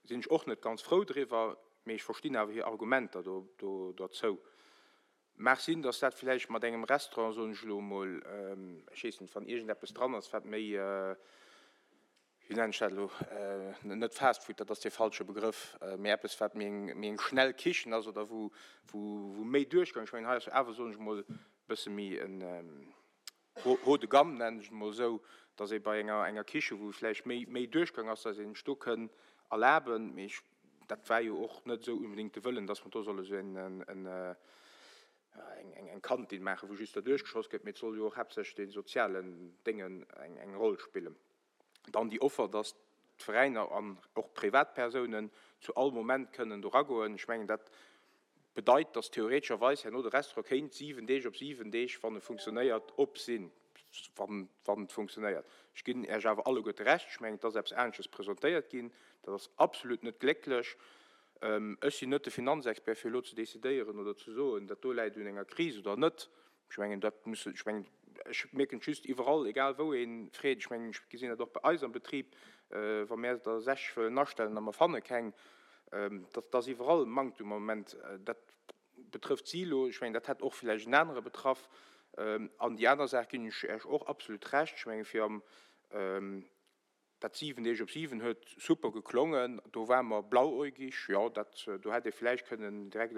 [SPEAKER 13] Sinn ech och net ganz frou driwwer, mee ech verstinn awer hir Argumenter do derzou. Mag sinn, dass dat vläicht mat engem Restaurant, soen ech elo emol, ech weess net, wann iergendeppes dran ass, wat méi, wéi nennen ech dat elo, net Fast Food, dat ass dee falsche Begrëff, mee eppes, wat méi eng, méi eng schnell Kichen ass oder wou, wou méi Duerchgang, ech mengen, hei ass jo awer, soen ech emol, e bësse méi en haut de gamme, nennen ech et emol esou, dass ee bei enger, enger Kiche, wou vläicht méi, méi Duerchgang ass, dass een sech do kënn erlaben, mee ech, dat war jo och net esou unbedéngt de Wëllen, dass mer do solle sou en, en, eng Kantin maachen, wou just derduerch geschoss gëtt, mee et soll jo och haaptsächlech de sozialen Déngen eng Roll spillen. Dann déi Offer, dass d'Veräiner an och Privatpersounen zu all Moment kënnen do ragoen. Ech mengen, dat bedeit, dass theoretescherweis herno de Restaurant kéint 7 Deeg op 7 Deeg, wann e funktionéiert, op sinn, wann et funktionéiert. Ech ginn Iech awer alleguerte Recht, ech mengen, et ass eppes anesches presentéiert ginn. Dat ass absolut net glécklech. Ech sinn net de Finanzexpert, fir elo ze decidéieren oder ze soen, dat do läit un enger Kris oder net. Ech mengen, dat muss, ech mengen, ech mierken et just iwwerall, egal wou ee freet. Ech mengen, ech gesinn dat och bei eis am Betrib, wa mär der 60 wëllen astellen a mer fanne keng, dat ass iwwerall Manktum am Moment. Dat betrëfft si elo, ech mengen, dat hätt och villäicht en anere betraff. An déi aner Saach ginn ech Iech och absolut Recht. Ech menge fir am Dat 7 Deeg op 7 huet super geklongen, do ware mer blauäugig, jo, dat, do hätt ee vläicht kënnen direkt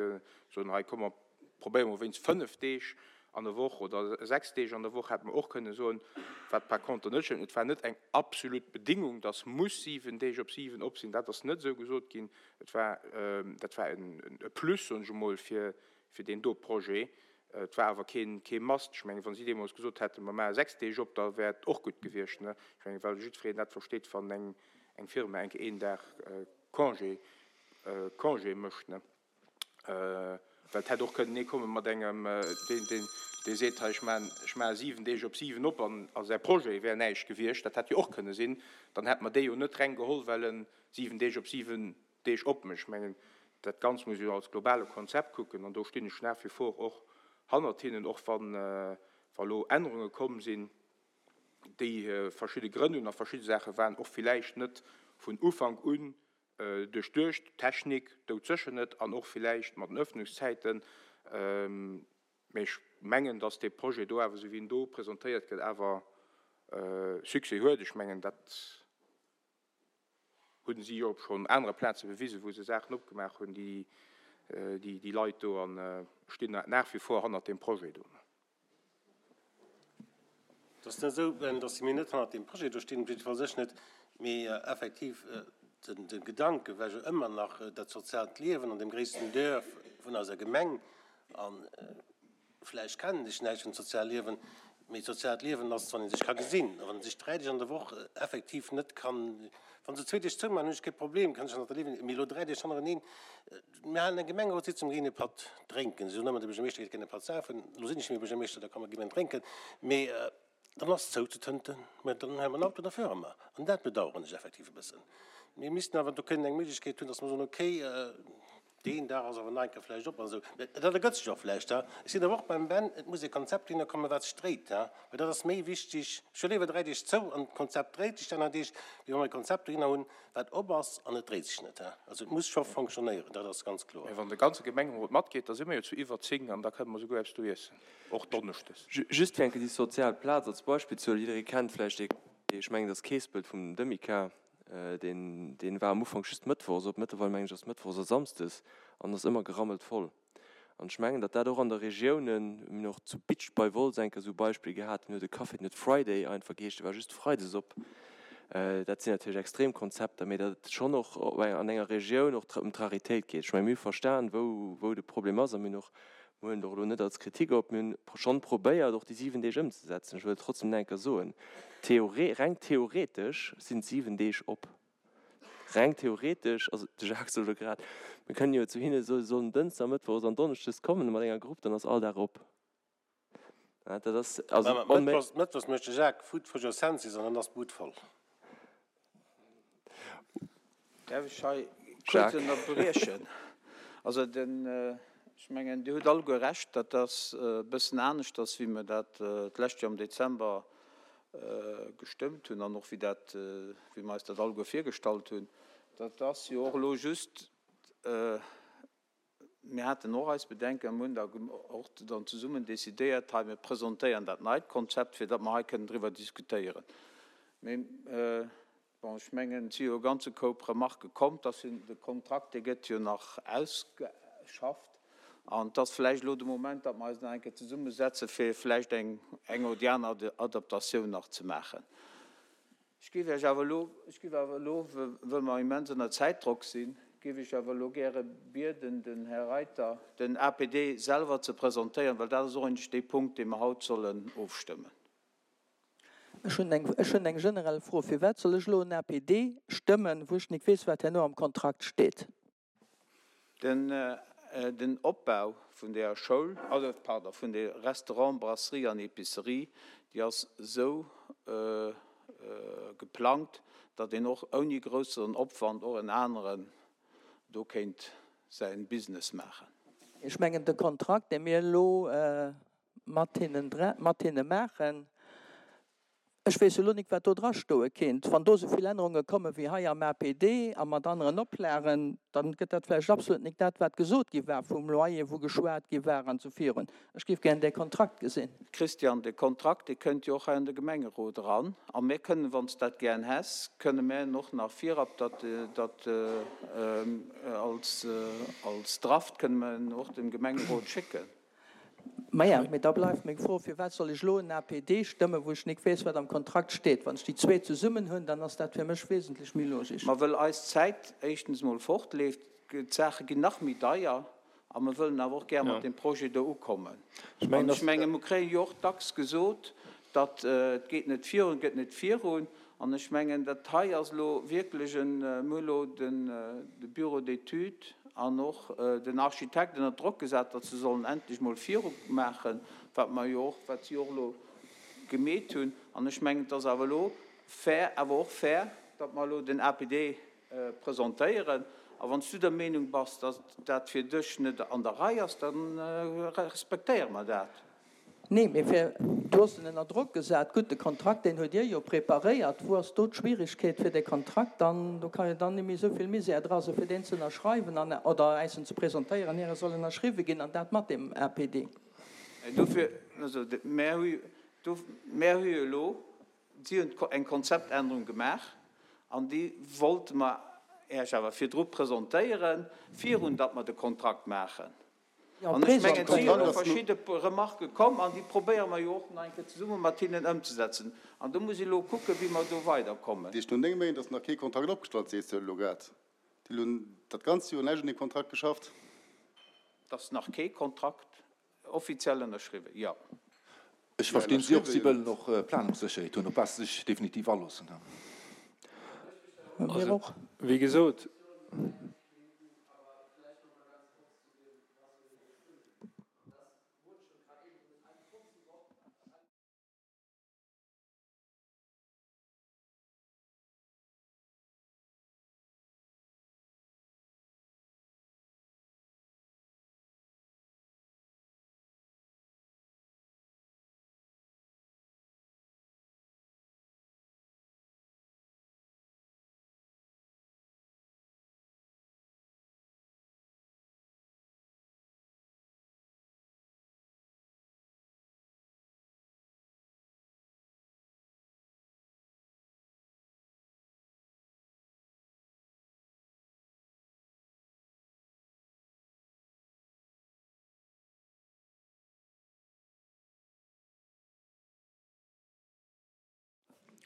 [SPEAKER 13] soen, hei komm mer probéiere mol wéinst 5 Deeg. an der Woch oder 6 Deeg an der Woch hätte mer och kënnen soen, wat par contre net stëmmt, et war net eng absolut Bedingung, dass muss 7 Deeg op 7 op sinn, dat ass net esou gesot ginn. Et war, dat war e Plus, soen ech emol, fir deen do Projet. Et war awer keen, kee Must. Ech mengen, wa si deemools gesot hätten, mer maache 6 Deeg op, da wär et och gutt gewiescht, ne? Ech mengen, well jiddwereen dat versteet, wann eng, eng Firma eng Kéier een Dag Congé, Congé mécht, ne? Well et hätt och kënnen ee komme mat engem, deen, deen, dee seet, hei, ech maachen, ech maache 7 Deeg op 7 op an a säi Projet wär näischt gewiescht. Dat hätt jo och kënne sinn. Dann hätte mer dee jo net reng geholl, well en 7 Deeg op 7 Deeg op mécht. Ech mengen, dat Ganzt muss ee jo als globale Konzept kucken an do stinn ech nach wie vor och hannert hinnen, och wann, wa lo Ännerunge komm sinn, déi verschidde Grënn hunn a verschidde Saache waren och villäicht net vun Ufank un duerchduecht, d'Technik doudsécher net an och villäicht mat den Öffnungszäiten. Mee ech mengen, dass dee Projet do awer, esou wéi en do presentéiert gëtt, awer Succès huet. Ech mengen, dat hu si jo op schonn anere Plaze bewisen, wou se Saachen opgemaach hunn, déi Leit do, a stinn nach wie vor hannert deem Projet do.
[SPEAKER 7] Et ass net esou, datt mir net hannert deem Projet do stinn, jiddefalls ech net, mee effektiv de Gedanke war jo ëmmer nach dat soziaalt Liewen an deem gréissten Duerf vun eiser Gemeng. A vläicht kennen ech näischt vum soziale Liewen, mee d'soziaalt Liewen ass, wann ee sech ka gesinn. A wann ee sech 3 Deeg an der Woch effektiv net kann, wa se zwee Deeg zoumaachen, hunn ech kee Problem, kann ech nach derliewen, mee elo 3 Deeg hannereneen, Mir halen eng Gemengerotssitzung, ginn e Patt drénken. Si soen ëmmer, de Buergermeeschter geet gär e Patt safen. Elo sinn ech net méi Buergermeeschter, da ka mer gi mer en drénken. Mee dann ass zou zu Tënten. Mä dann huele mer en Auto, da fuere mer. An dat bedauern ech effektiv e bëssen. Mir missten awer do kënnen eng Méiglechkeet hunn, datt mer soen, okay, deen Dag ass awer nach eng Kéier vläicht op an esou. Mä dat ergëtt sech och vläicht. Ech sinn awer och beim Ben, et muss e Konzept hinne kommen, wat sech dréit. Well dat ass méi wichteg. Ech hu léiwer 3 Deeg zou an d'Konzept dréit sech déi aner Deeg, wéi wa mer e Konzept dohinner hunn, Wat op ass an et dréit sech net. Also et muss scho fonctionnéieren, dat ass ganz kloer.
[SPEAKER 13] Mä wann de ganze Gemengerot matgeet, da si mer jo zu iwwer 10 an da kënne mer souguer eppes do iessen, och donneschdes.
[SPEAKER 3] Just fir eng Kéier déi sozial Plaz als Beispill ze huelen, jidderee kennt vläicht dee, ech mengen, dat ass Keespelt vum Demica, deen, deen war am Ufank just mëttwochs op, mëttlerweil mengen ech ass mëttwochs a samsdes an ass ëmmer gerammelt voll. An ech mengen, datt dat och an der Regiounen, mir hunn och zu Bitsch bei Wolz eng Kéier esou e Beispill gehat, deen huet e Café, deen huet Friday einfach geheescht, dee war just freides op. Dat sinn natierlech extrem Konzepter, mee datt et schonn och an enger Regioun och ëm d'Raritéit geet. Ech mengen, mir hu verstan, wou, wou de Problem ass a mir hunn och, mir huelen et och elo net als Kritik op, mir hunn schonn probéiert, och déi 7 Deeg ëmzesetzen. Ech wëll et trotzdem nach eng Kéier soen, theore, reng theoretesch sinn 7 Deeg op. Reng theoretesch, also de Jacques sot elo grad, mir kënnen jo zu hinne soen, se sollen Dënschdes a Mëttwochs an Donneschdes kommen mat enger Grupp, dann ass all Dag op. Dat ass also
[SPEAKER 7] onméiglech. Mëttwochs mécht de Jacques Food for your senses an dann ass d'Bud voll.
[SPEAKER 12] Däerf ech hei kuerz ënnerbriechen? Also den, ech mengen, Dir hutt alleguer Recht, dat ass e bëssen aneschters, wéi mir dat d'lescht Joer am Dezember gestëmmt hunn an och wéi dat, wéi mer eis dat alleguer virgestallt hunn. Dat ass jo och elo just, mir haten och eis Bedenken a mir hunn da och dann zesummen decidéiert, hei mir presentéieren dat neit Konzept, fir datt mer hei kënnen driwwer diskutéieren. Mee bon, ech mengen, et si jo e ganze Koup Remarquë komm. Et ass jo, de Kontrakt, dee gëtt jo nach ausgeschafft. An et ass vläicht elo de Moment, datt mer eis nach eng Kéier zesummesetzen, fir vläicht eng eng oder déi aner Adaptatioun nach ze maachen. Ech géif Iech awer elo, ech géif awer elo, wëll mer immens ënner Zäitdrock sinn, géif ech awer elo gäre bieden, den Här Reiter den APD selwer ze presentéieren, well dat ass och eigentlech dee Punkt, dee mer haut sollen ofstëmmen.
[SPEAKER 10] Ech hunn eng, ech hunn eng generell Fro. Firwat soll ech elo en APD stëmmen, wou ech nik weess, wat herno am Kontrakt steet?
[SPEAKER 12] Den Opbau vun der Schoul, also pardon, vun de Restaurant, Brasserie an Epicerie, déi ass esou geplangt, datt een och ouni grousseren Opwand och en aneren do kéint säi Business maachen.
[SPEAKER 10] Ech mengen, de Kontrakt, dee mir elo mat hinne maachen, Ech weess elo nik, wat do dra stoe kéint. Wann do esou vill Ännerunge komme wéi hei am APD a mat aneren Oplagen, da gëtt dat vläicht absolut nik dat, wat gesot gi war vum Loyer, wou geschwat gi war an esou virun. Ech géif gären dee Kontrakt gesinn.
[SPEAKER 12] Christian, de Kontrakt, dee kënnt jo och hei an de Gemengerot eran. A mir kënnen, wann s de dat gären häss, kënne mär en och nach virab, datt, datt als, als Draft kënne mer en och dem Gemengerot schécken.
[SPEAKER 10] Maja, mee da bleift meng Fro, Firwat soll ech elo en APD stëmmen, wou ech nik weess, wat am Kontrakt steet? Wann ech déi zwee zesummen hunn, dann ass dat fir mech wesentlech méi logisch.
[SPEAKER 12] Ma wëll eis d'Zäit éischtens emol fortleeft, d'Saache ginn nach méi deier a mer wëllen awer och gär mat deem Projet do ukommen. An ech menge mer kréie jo och dacks gesot, datt et geet net virun, et gëtt net virun. An ech mengen, dat hei ass elo wierklech en, mir hu elo de Bureau d'études an och den Architekt ënner Drock gesat, datt se sollen endlech mol viru maachen, wat mer jo och, wat si och elo gemeet hunn. An ech mengen, et ass awer elo fair, awer och fair, datt mer elo den APD presentéieren. A wann s du der Meenung bass, datt dat fir dech net an der Rei ass, da respektéiere mer dat.
[SPEAKER 10] Nee, mee fir, du hues en ënner Drock gesat. Gutt, de Kontrakt, deen huet Dir jo preparéiert. Wou ass do d'Schwierigkeet fir dee Kontrakt dann, do ka jo dann net méi esou vill Misär dra sinn, fir deen ze ënnerschreiwen an, oder äis en ze presentéieren, ier e soll ënnerschriwwe ginn, an dat mat deem APD.
[SPEAKER 12] Dofir, also mär hu, mär hu jo elo, si hunn eng Konzeptännerung gemaach an déi wollte mer Äech awer virdru presentéieren, virun datt mer de Kontrakt maachen. An ech mengen, et si jo elo verschidde Remarquë komm an déi probéiere mer jo och nach eng Kéier zesumme mat hinnen ëmzesetzen. An do muss ee elo kucken, wéi mer do weiderkommen.
[SPEAKER 9] Dat heescht, no 9 Méint ass nach kee Kontrakt opgestallt, sees de elo grad. Déi hunn dat ganzt Joer näischt un deem Kontrakt geschafft?
[SPEAKER 12] Et ass nach kee Kontrakt offiziell ënnerschriwwen, jo.
[SPEAKER 11] Ech verstinn si och, si wëllen och Planungssécherheet hunn, op wat se sech definitiv aloossen.
[SPEAKER 10] Mir och.
[SPEAKER 2] Wéi gesot.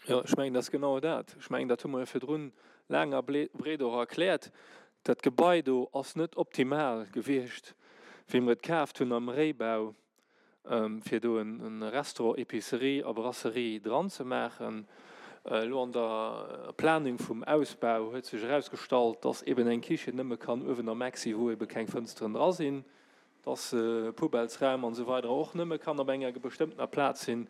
[SPEAKER 2] Jo, ech mengen, dat ass genau dat. Ech mengen, dat hu mer jo virdrun laang a breet och erkläert. Dat Gebai do ass net optimal gewiescht, wéi mer et kaaft hunn am Réibau, fir do e Restaurant, Épicerie a Brasserie dran ze maachen. Elo an der Planung vum Ausbau huet sech erausgestallt, dass eben eng Kichen nëmme kann uewen am Eck sinn, wou ebe keng Fënsteren dra sinn. dass Poubellsraum an esou weider och nëmme kann op enger bestëmmtener Plaz sinn.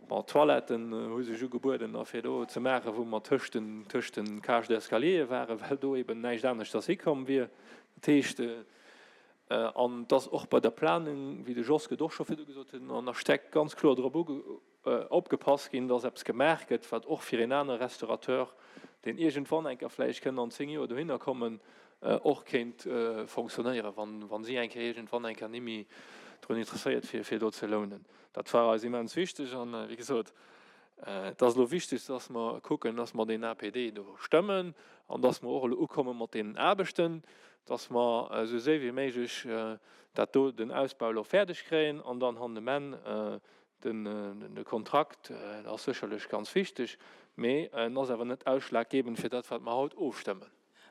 [SPEAKER 2] Bon, d'Toiletten hu sech ugebueden a fir do ze maachen, wou mer tëscht den, tëscht den Cages d'escaliere waren, well do eben näischt aneschters hikomm wier. Dat heescht, an dass och bei der Planung, wéi de Josque et och scho virdu gesot huet, an Architekt ganz kloer drop uge, opgepasst ginn, dass eppes gemaach gëtt, wat och fir een anere Restaurateur, deen iergendwann eng Kéier vläicht kënnt an 10 Joer dohinner kommen, och kéint fonctionnéieren, wa si eng Kéier iergendwann eng Kéier nimmi drun interesséiert wier, fir do ze lounen. Dat war eis immens wichteg. An, wéi gesot, et ass elo wichteg, dass mer kucken, dass mer deen APD do stëmmen an dass mer och elo ukomme mat deenen Aarbechten, dass mer esou séier wéi méiglech dat do, den Ausbau elo fäerdeg kréien an dann han um Enn De Kontrakt ass sécherlech ganz wichteg, mee en ass awer net ausschlaggebend fir dat, wat mer haut ofstëmmen.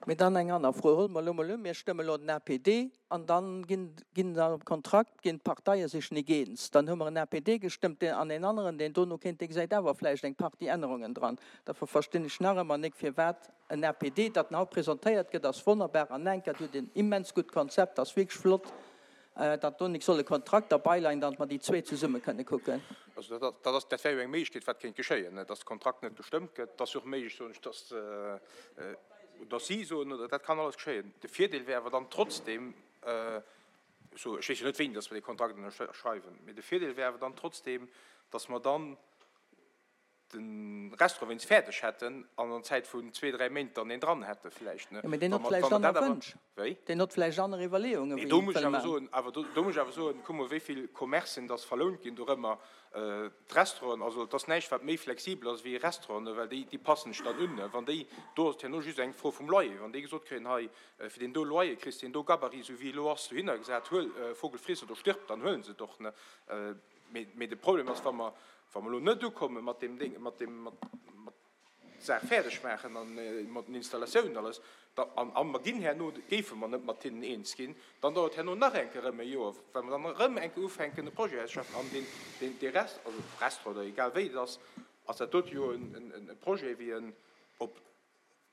[SPEAKER 10] Mee dann eng aner Fro, Huele mer elo mol un, mir stëmme elo den APD an da ginn ginn am Kontrakt ginn d'Parteie sech nik eens. Dann hu mer en APD gestëmmt deen an een aneren, deen dono kéint, dee gesäit awer vläicht eng Partie Ännerungen dran. Derfir verstinn ech nach ëmmer nik, firwat en APD, dat en haut presentéiert gëtt, ass wonnerbar an enkert, huet en immens gutt Konzept, ass wierklech flott, datt do nik soll e Kontrakt derbeileien, datt mer déi zwee zesumme kënne kucken.
[SPEAKER 13] Also dat ass, dat wär jo eng Méiglechkeet, wat kéint geschéien, datt de Kontrakt net gestëmmt gëtt. Et ass jo och méiglech, soen ech, datt, datt si soen, oder dat kann alles geschéien. De Virdeel wär awer dann trotzdem, ech weess jo net, wéini datt mer dee Kontrakt ënnerschreiwen, mee de Virdeel wär awer dann trotzdem, datt mer dann. De Restaurant wéinst fäerdeg hätten an an Zäit vun zwee, dräi Méint dann een dran hätte vläicht, ne?
[SPEAKER 10] Jo, mee deen huet vläicht aner Wënsch.
[SPEAKER 13] Wéi?
[SPEAKER 10] Deen huet vläicht aner Iwwerleeungen,
[SPEAKER 13] wéi
[SPEAKER 10] en
[SPEAKER 13] do muss
[SPEAKER 10] wëll
[SPEAKER 13] ech awer
[SPEAKER 10] maachen.
[SPEAKER 13] soen, awer do, do muss ech awer soen, kuck mol, wéi vill Commercen dass verlount ginn dorëmmer, d'Restauranten, also et ass näischt, wat méi flexibel ass wéi e Restaurant, ne, well déi, déi passen sech dann un, ne. Wann déi, do ass et herno just eng Fro vum Loyer, wann déi gesot kréien, hei, fir deen do Loyer kriss de deen do Gabarit, esou wéi e elo ass, dohinner gesat, huel, Vogel friss oder stirb, dann huele se et och, ne. Mee de Problem ass, wa mer, wa mer elo net ukomme mat deem Ding, mat deem, mat, mat d'Saach fäerdeg maachen an mat den Installatiounen alles, da, an, a mer ginn herno, géife mer net mat hinnen eens ginn, dann dauert herno nach eng Kéier erëm e Joer, well mer dann erëm eng Kéier ufänken e Projet auszeschaffen. An deen, deen, dee Rest, also Restaurant oder egal wéi et ass, ass dat dote jo en, en, e Projet wéi en op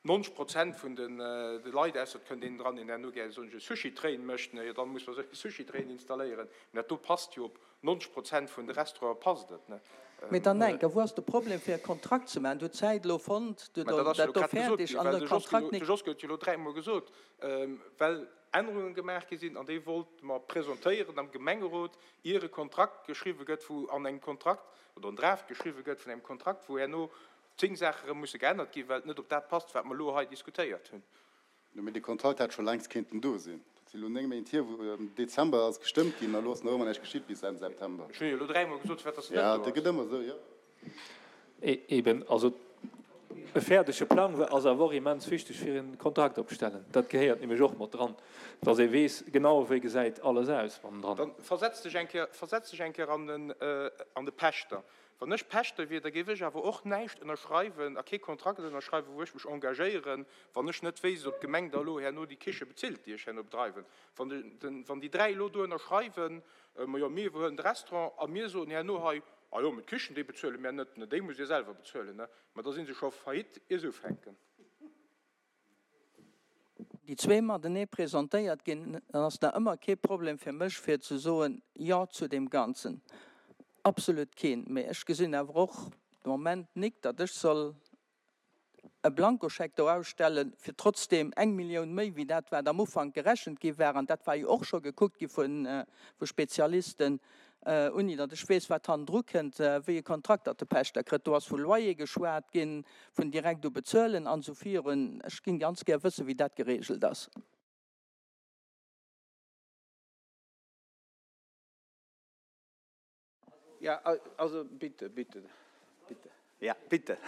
[SPEAKER 13] 90 Prozent vun de Leit, ausser et kënnt een dran, deen herno gär esou e Sushi-Train mécht, jo dann muss mer esou e Sushi-Train installéieren, mä dat do passt jo op 90 Prozent vun de Restauranten passt et, ne.
[SPEAKER 10] Mee dann enker, wou ass de Problem fir e Kontrakt ze maachen? Du huet d'Zäit elo fonnt, du huet dat do fäerdeg an de Kontrakt
[SPEAKER 13] nik. De Josque huet jo elo dräimol gesot, well Ännerunge gemaach gi sinn an déi wollt mer presentéieren am Gemengerot, ier e Kontrakt geschriwwe gëtt, wou an engem Kontrakt, oder en Draft geschriwwe gëtt vun engem Kontrakt, wou herno 10 Saache erëm musse geännert ginn, well et net op dat passt, wat mer elo hei diskutéiert hunn.
[SPEAKER 9] Jo, mee dee Kontrakt hätt scho längst kéinten do sinn. Dat si elo 9 Méint hier, wou am Dezember ass gestëmmt ginn, a elo ass nach ëmmer näischt geschitt bis Enn September.
[SPEAKER 13] Ech hunn jo elo dräimol gesot, firwat dass en net do ass.
[SPEAKER 9] Jo, dat gëtt ëmmer esou, jo.
[SPEAKER 2] Eben, also e fäerdege Plang ass awer och immens wichteg fir e Kontrakt opstellen. Dat gehéiert nämlech och mat dran, dass ee weess genau, wéi gesäit alles aus bannendran.
[SPEAKER 13] Dann versetz dech eng Kéier, versetz dech eng Kéier an den, an de Pächter. Wann ech Pächter wier, da géif ech awer och näischt ënnerschreiwen a kee Kontrakt ënnerschreiwen, wou ech mech engagéieren, wann ech net wéisst, ob d'Gemeng da elo herno déi Kiche bezilt, déi ech herno bedreiwen. Wann de, wann déi 3 elo do ënnerschreiwen, ma jo, mir iwwerhuelen de Restaurant a mir soen herno hei, ah jo, mä d'Kichen, déi bezuele mär net, ne, déi musst Dir selwer bezuelen, ne, ma da si se scho faillite, ier se ufänken.
[SPEAKER 10] Déi zwee matenee presentéiert ginn, dann ass nach ëmmer kee Problem fir mech fir ze soen Jo zu deem Ganzen. Absolut keen. Mee ech gesinn awer och de Moment nik, datt ech soll e Blankoscheck do ausstellen, fir trotzdeem eng Millioun méi wéi dat wat am Ufank gerechent gi war, an dat war jo och scho gekuckt gi vu Spezialisten, Unni datt ech weess, wat hannendru kënnt, wéi e Kontrakt datt de Pächter kritt. Do ass vu Loyer geschwat ginn, vun direkt u bezuelen an esou virun. Ech géing ganz gär wëssen, wéi dat geregelt ass.
[SPEAKER 12] Jo, also bitte, bitte, bitte, ja, bitte.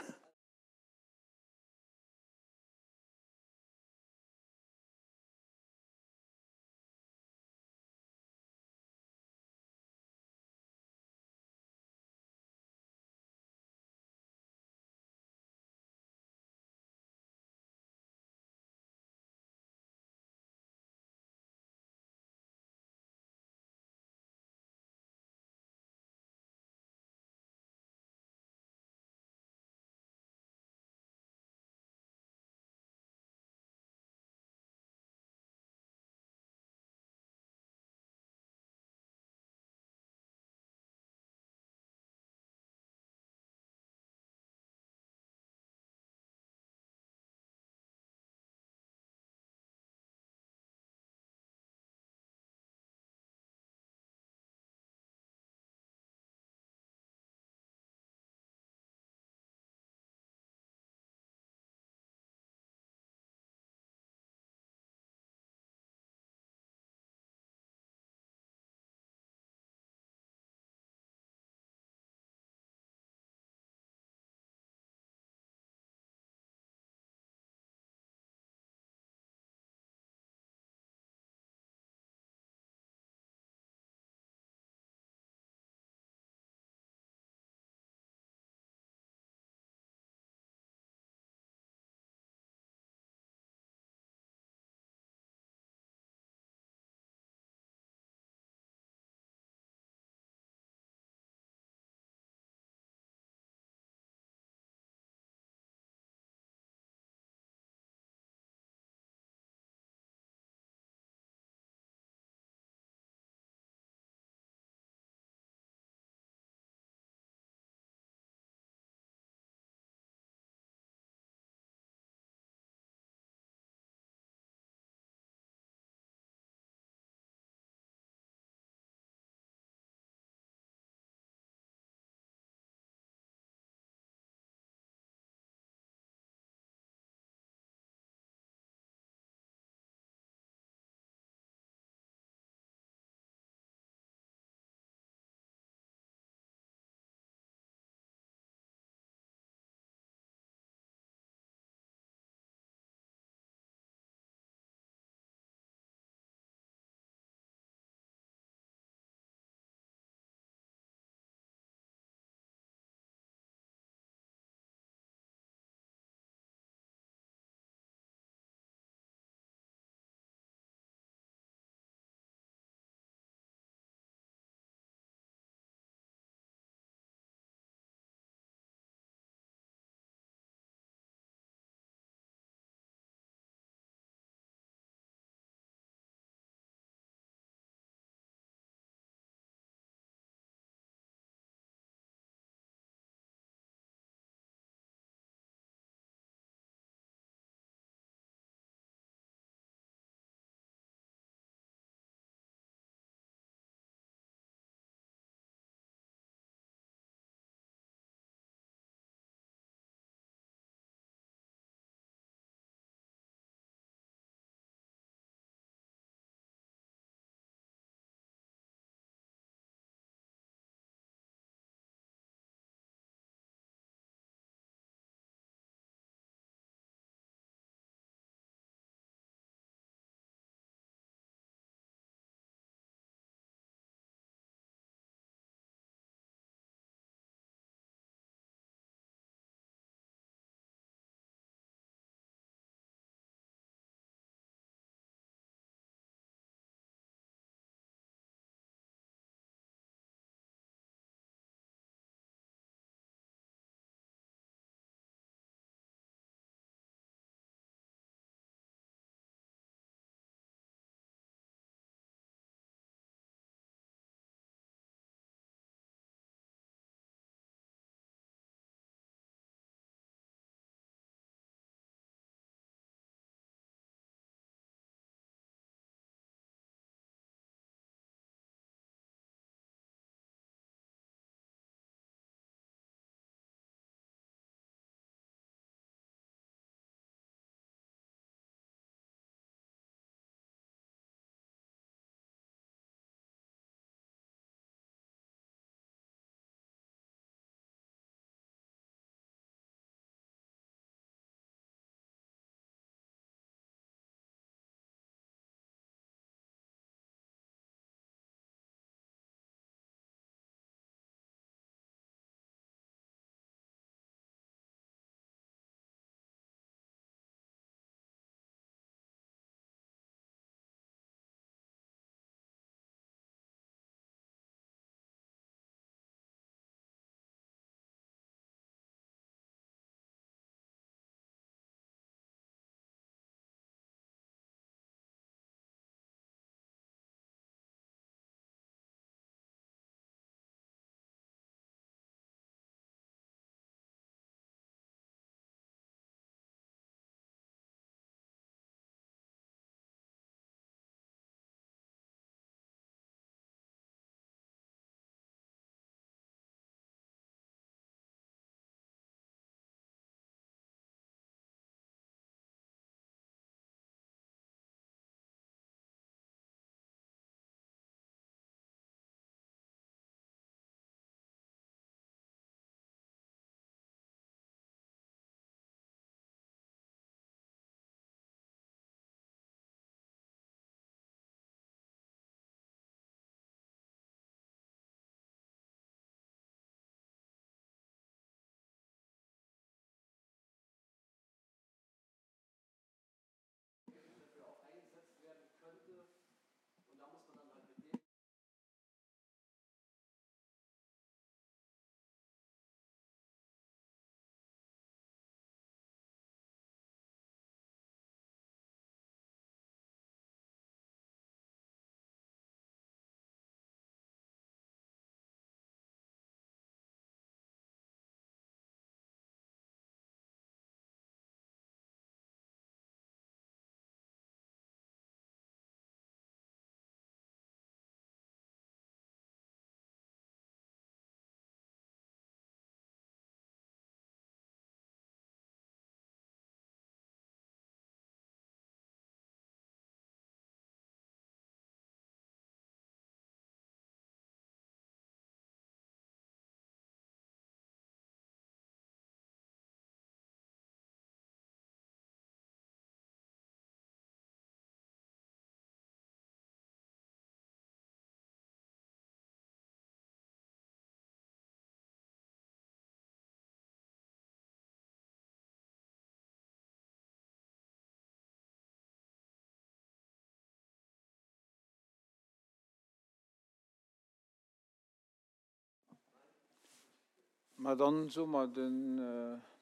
[SPEAKER 12] Ma dann soe mer den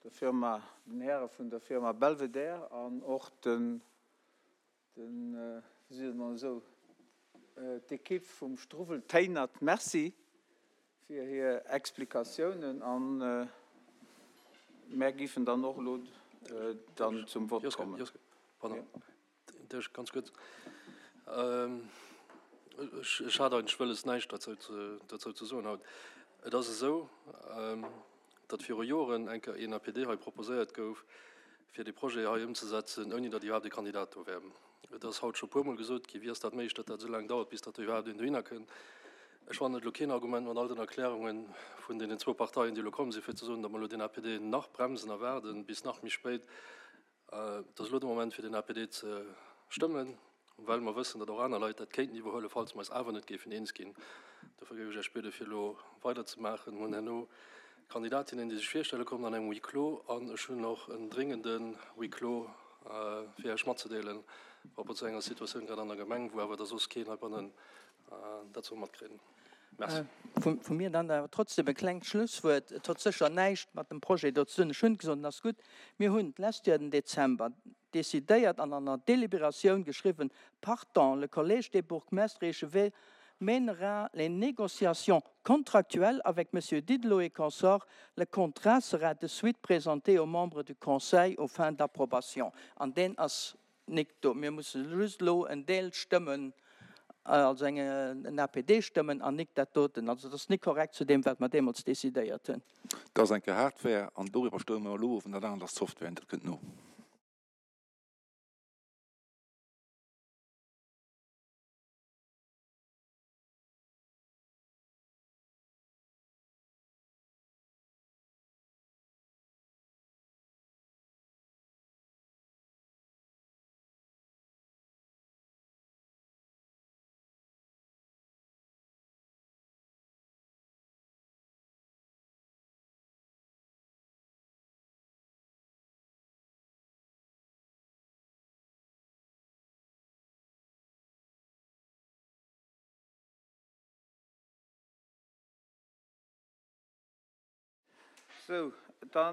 [SPEAKER 12] der Firma, den Häre vun der Firma Belvedere an och den, den, wéi seet een esou, d'Ekipp vum Struwwel Téinert Merci fir hir Explikatiounen an mär giffen dann och elo dann zum Vott kommen.
[SPEAKER 14] Pardon, Dech ganz kuerz. Ech hat eigentlech wëlles näischt dozou ze soen haut. Et ass esou, datt viru Joren eng Kéier een APD hei proposéiert gouf, fir dee Projet hei ëmzesetzen, ouni datt iwwerhaapt e Kandidat do wär. Et ass haut scho puermol gesot ginn, wéi ass dat méiglech, datt dat esou laang dauert, bis datt do iwwerhaapt een dohinner kënnt. Ech fannen et elo keen Argument mat all den Erklärunge vun deenen zwou Parteien, déi elo komm sinn, fir ze soen, datt mer elo deen APD nach bremsen a waarden bis nach méi spéit. Et ass elo de Moment, fir den APD ze stëmmen, well mer wëssen, datt och aner Leit dat kéinten iwwerhuelen, falls mer eis awer net géifen eens ginn. Dofir géif ech Iech bieden, fir elo weiderzemaachen. Mir hunn herno Kandidatinnen, déi sech virstelle kommen an engem Huis clos, an ech hunn och en dringenden Huis clos, fir Iech matzedeelen par rapport zu enger Situatioun grad an der Gemeng, wou awer da soss keen heibannen dat soll matkréien. Merci.
[SPEAKER 10] Vu mir dann awer trotzdem e klengt Schlusswuert. Et huet sécher näischt mat dem Projet do ze dun. Ech hunn gesot, en ass gutt. Mir hunn d'lescht Joer den Dezember decidéiert an an der Délibératioun geschriwwen, Partant, le Collège des bourgmestres et échevins mènera les négociations contractuelles avec Monsieur Didelot et consorts. Le contrat sera de suite présenté aux membres du Conseil aux fins d'approbation. An deen ass Nik do. Mir musse just elo en Deel stëmmen, also eng, en APD stëmmen an nik dat doten. Also dat ass nik korrekt zu deem, wat mer deemools decidéiert hunn.
[SPEAKER 11] Dat ass eng Kéier Hardware an doriwwer stëmme mer elo of an dat anert ass Software an dat kënnt no.
[SPEAKER 12] Sou, da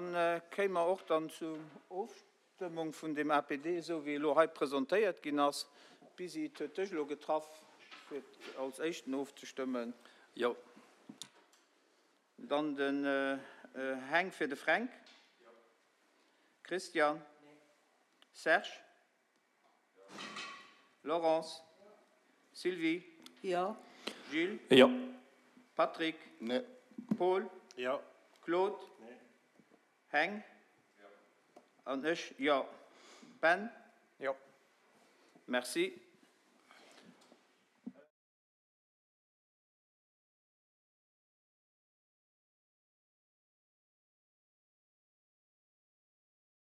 [SPEAKER 12] kéime mer och dann zur Ofstëmmung vun deem APD, esou wéi e elo hei presentéiert ginn ass. Bisi, et huet dech elo getraff, fir als Éischten ofzestëmmen.
[SPEAKER 14] Jo.
[SPEAKER 12] Dann den Heng fir de Fränk. Jo. Christian. Nee. Serge. Laurence. Sylvie.
[SPEAKER 10] Jo.
[SPEAKER 12] Gilles.
[SPEAKER 2] Jo.
[SPEAKER 12] Patrick.
[SPEAKER 9] Nee.
[SPEAKER 12] Paul.
[SPEAKER 7] Jo.
[SPEAKER 12] Claude.
[SPEAKER 7] Nee.
[SPEAKER 12] Heng.
[SPEAKER 7] Jo.
[SPEAKER 12] An ech, jo. Ben.
[SPEAKER 2] Jo.
[SPEAKER 12] Merci.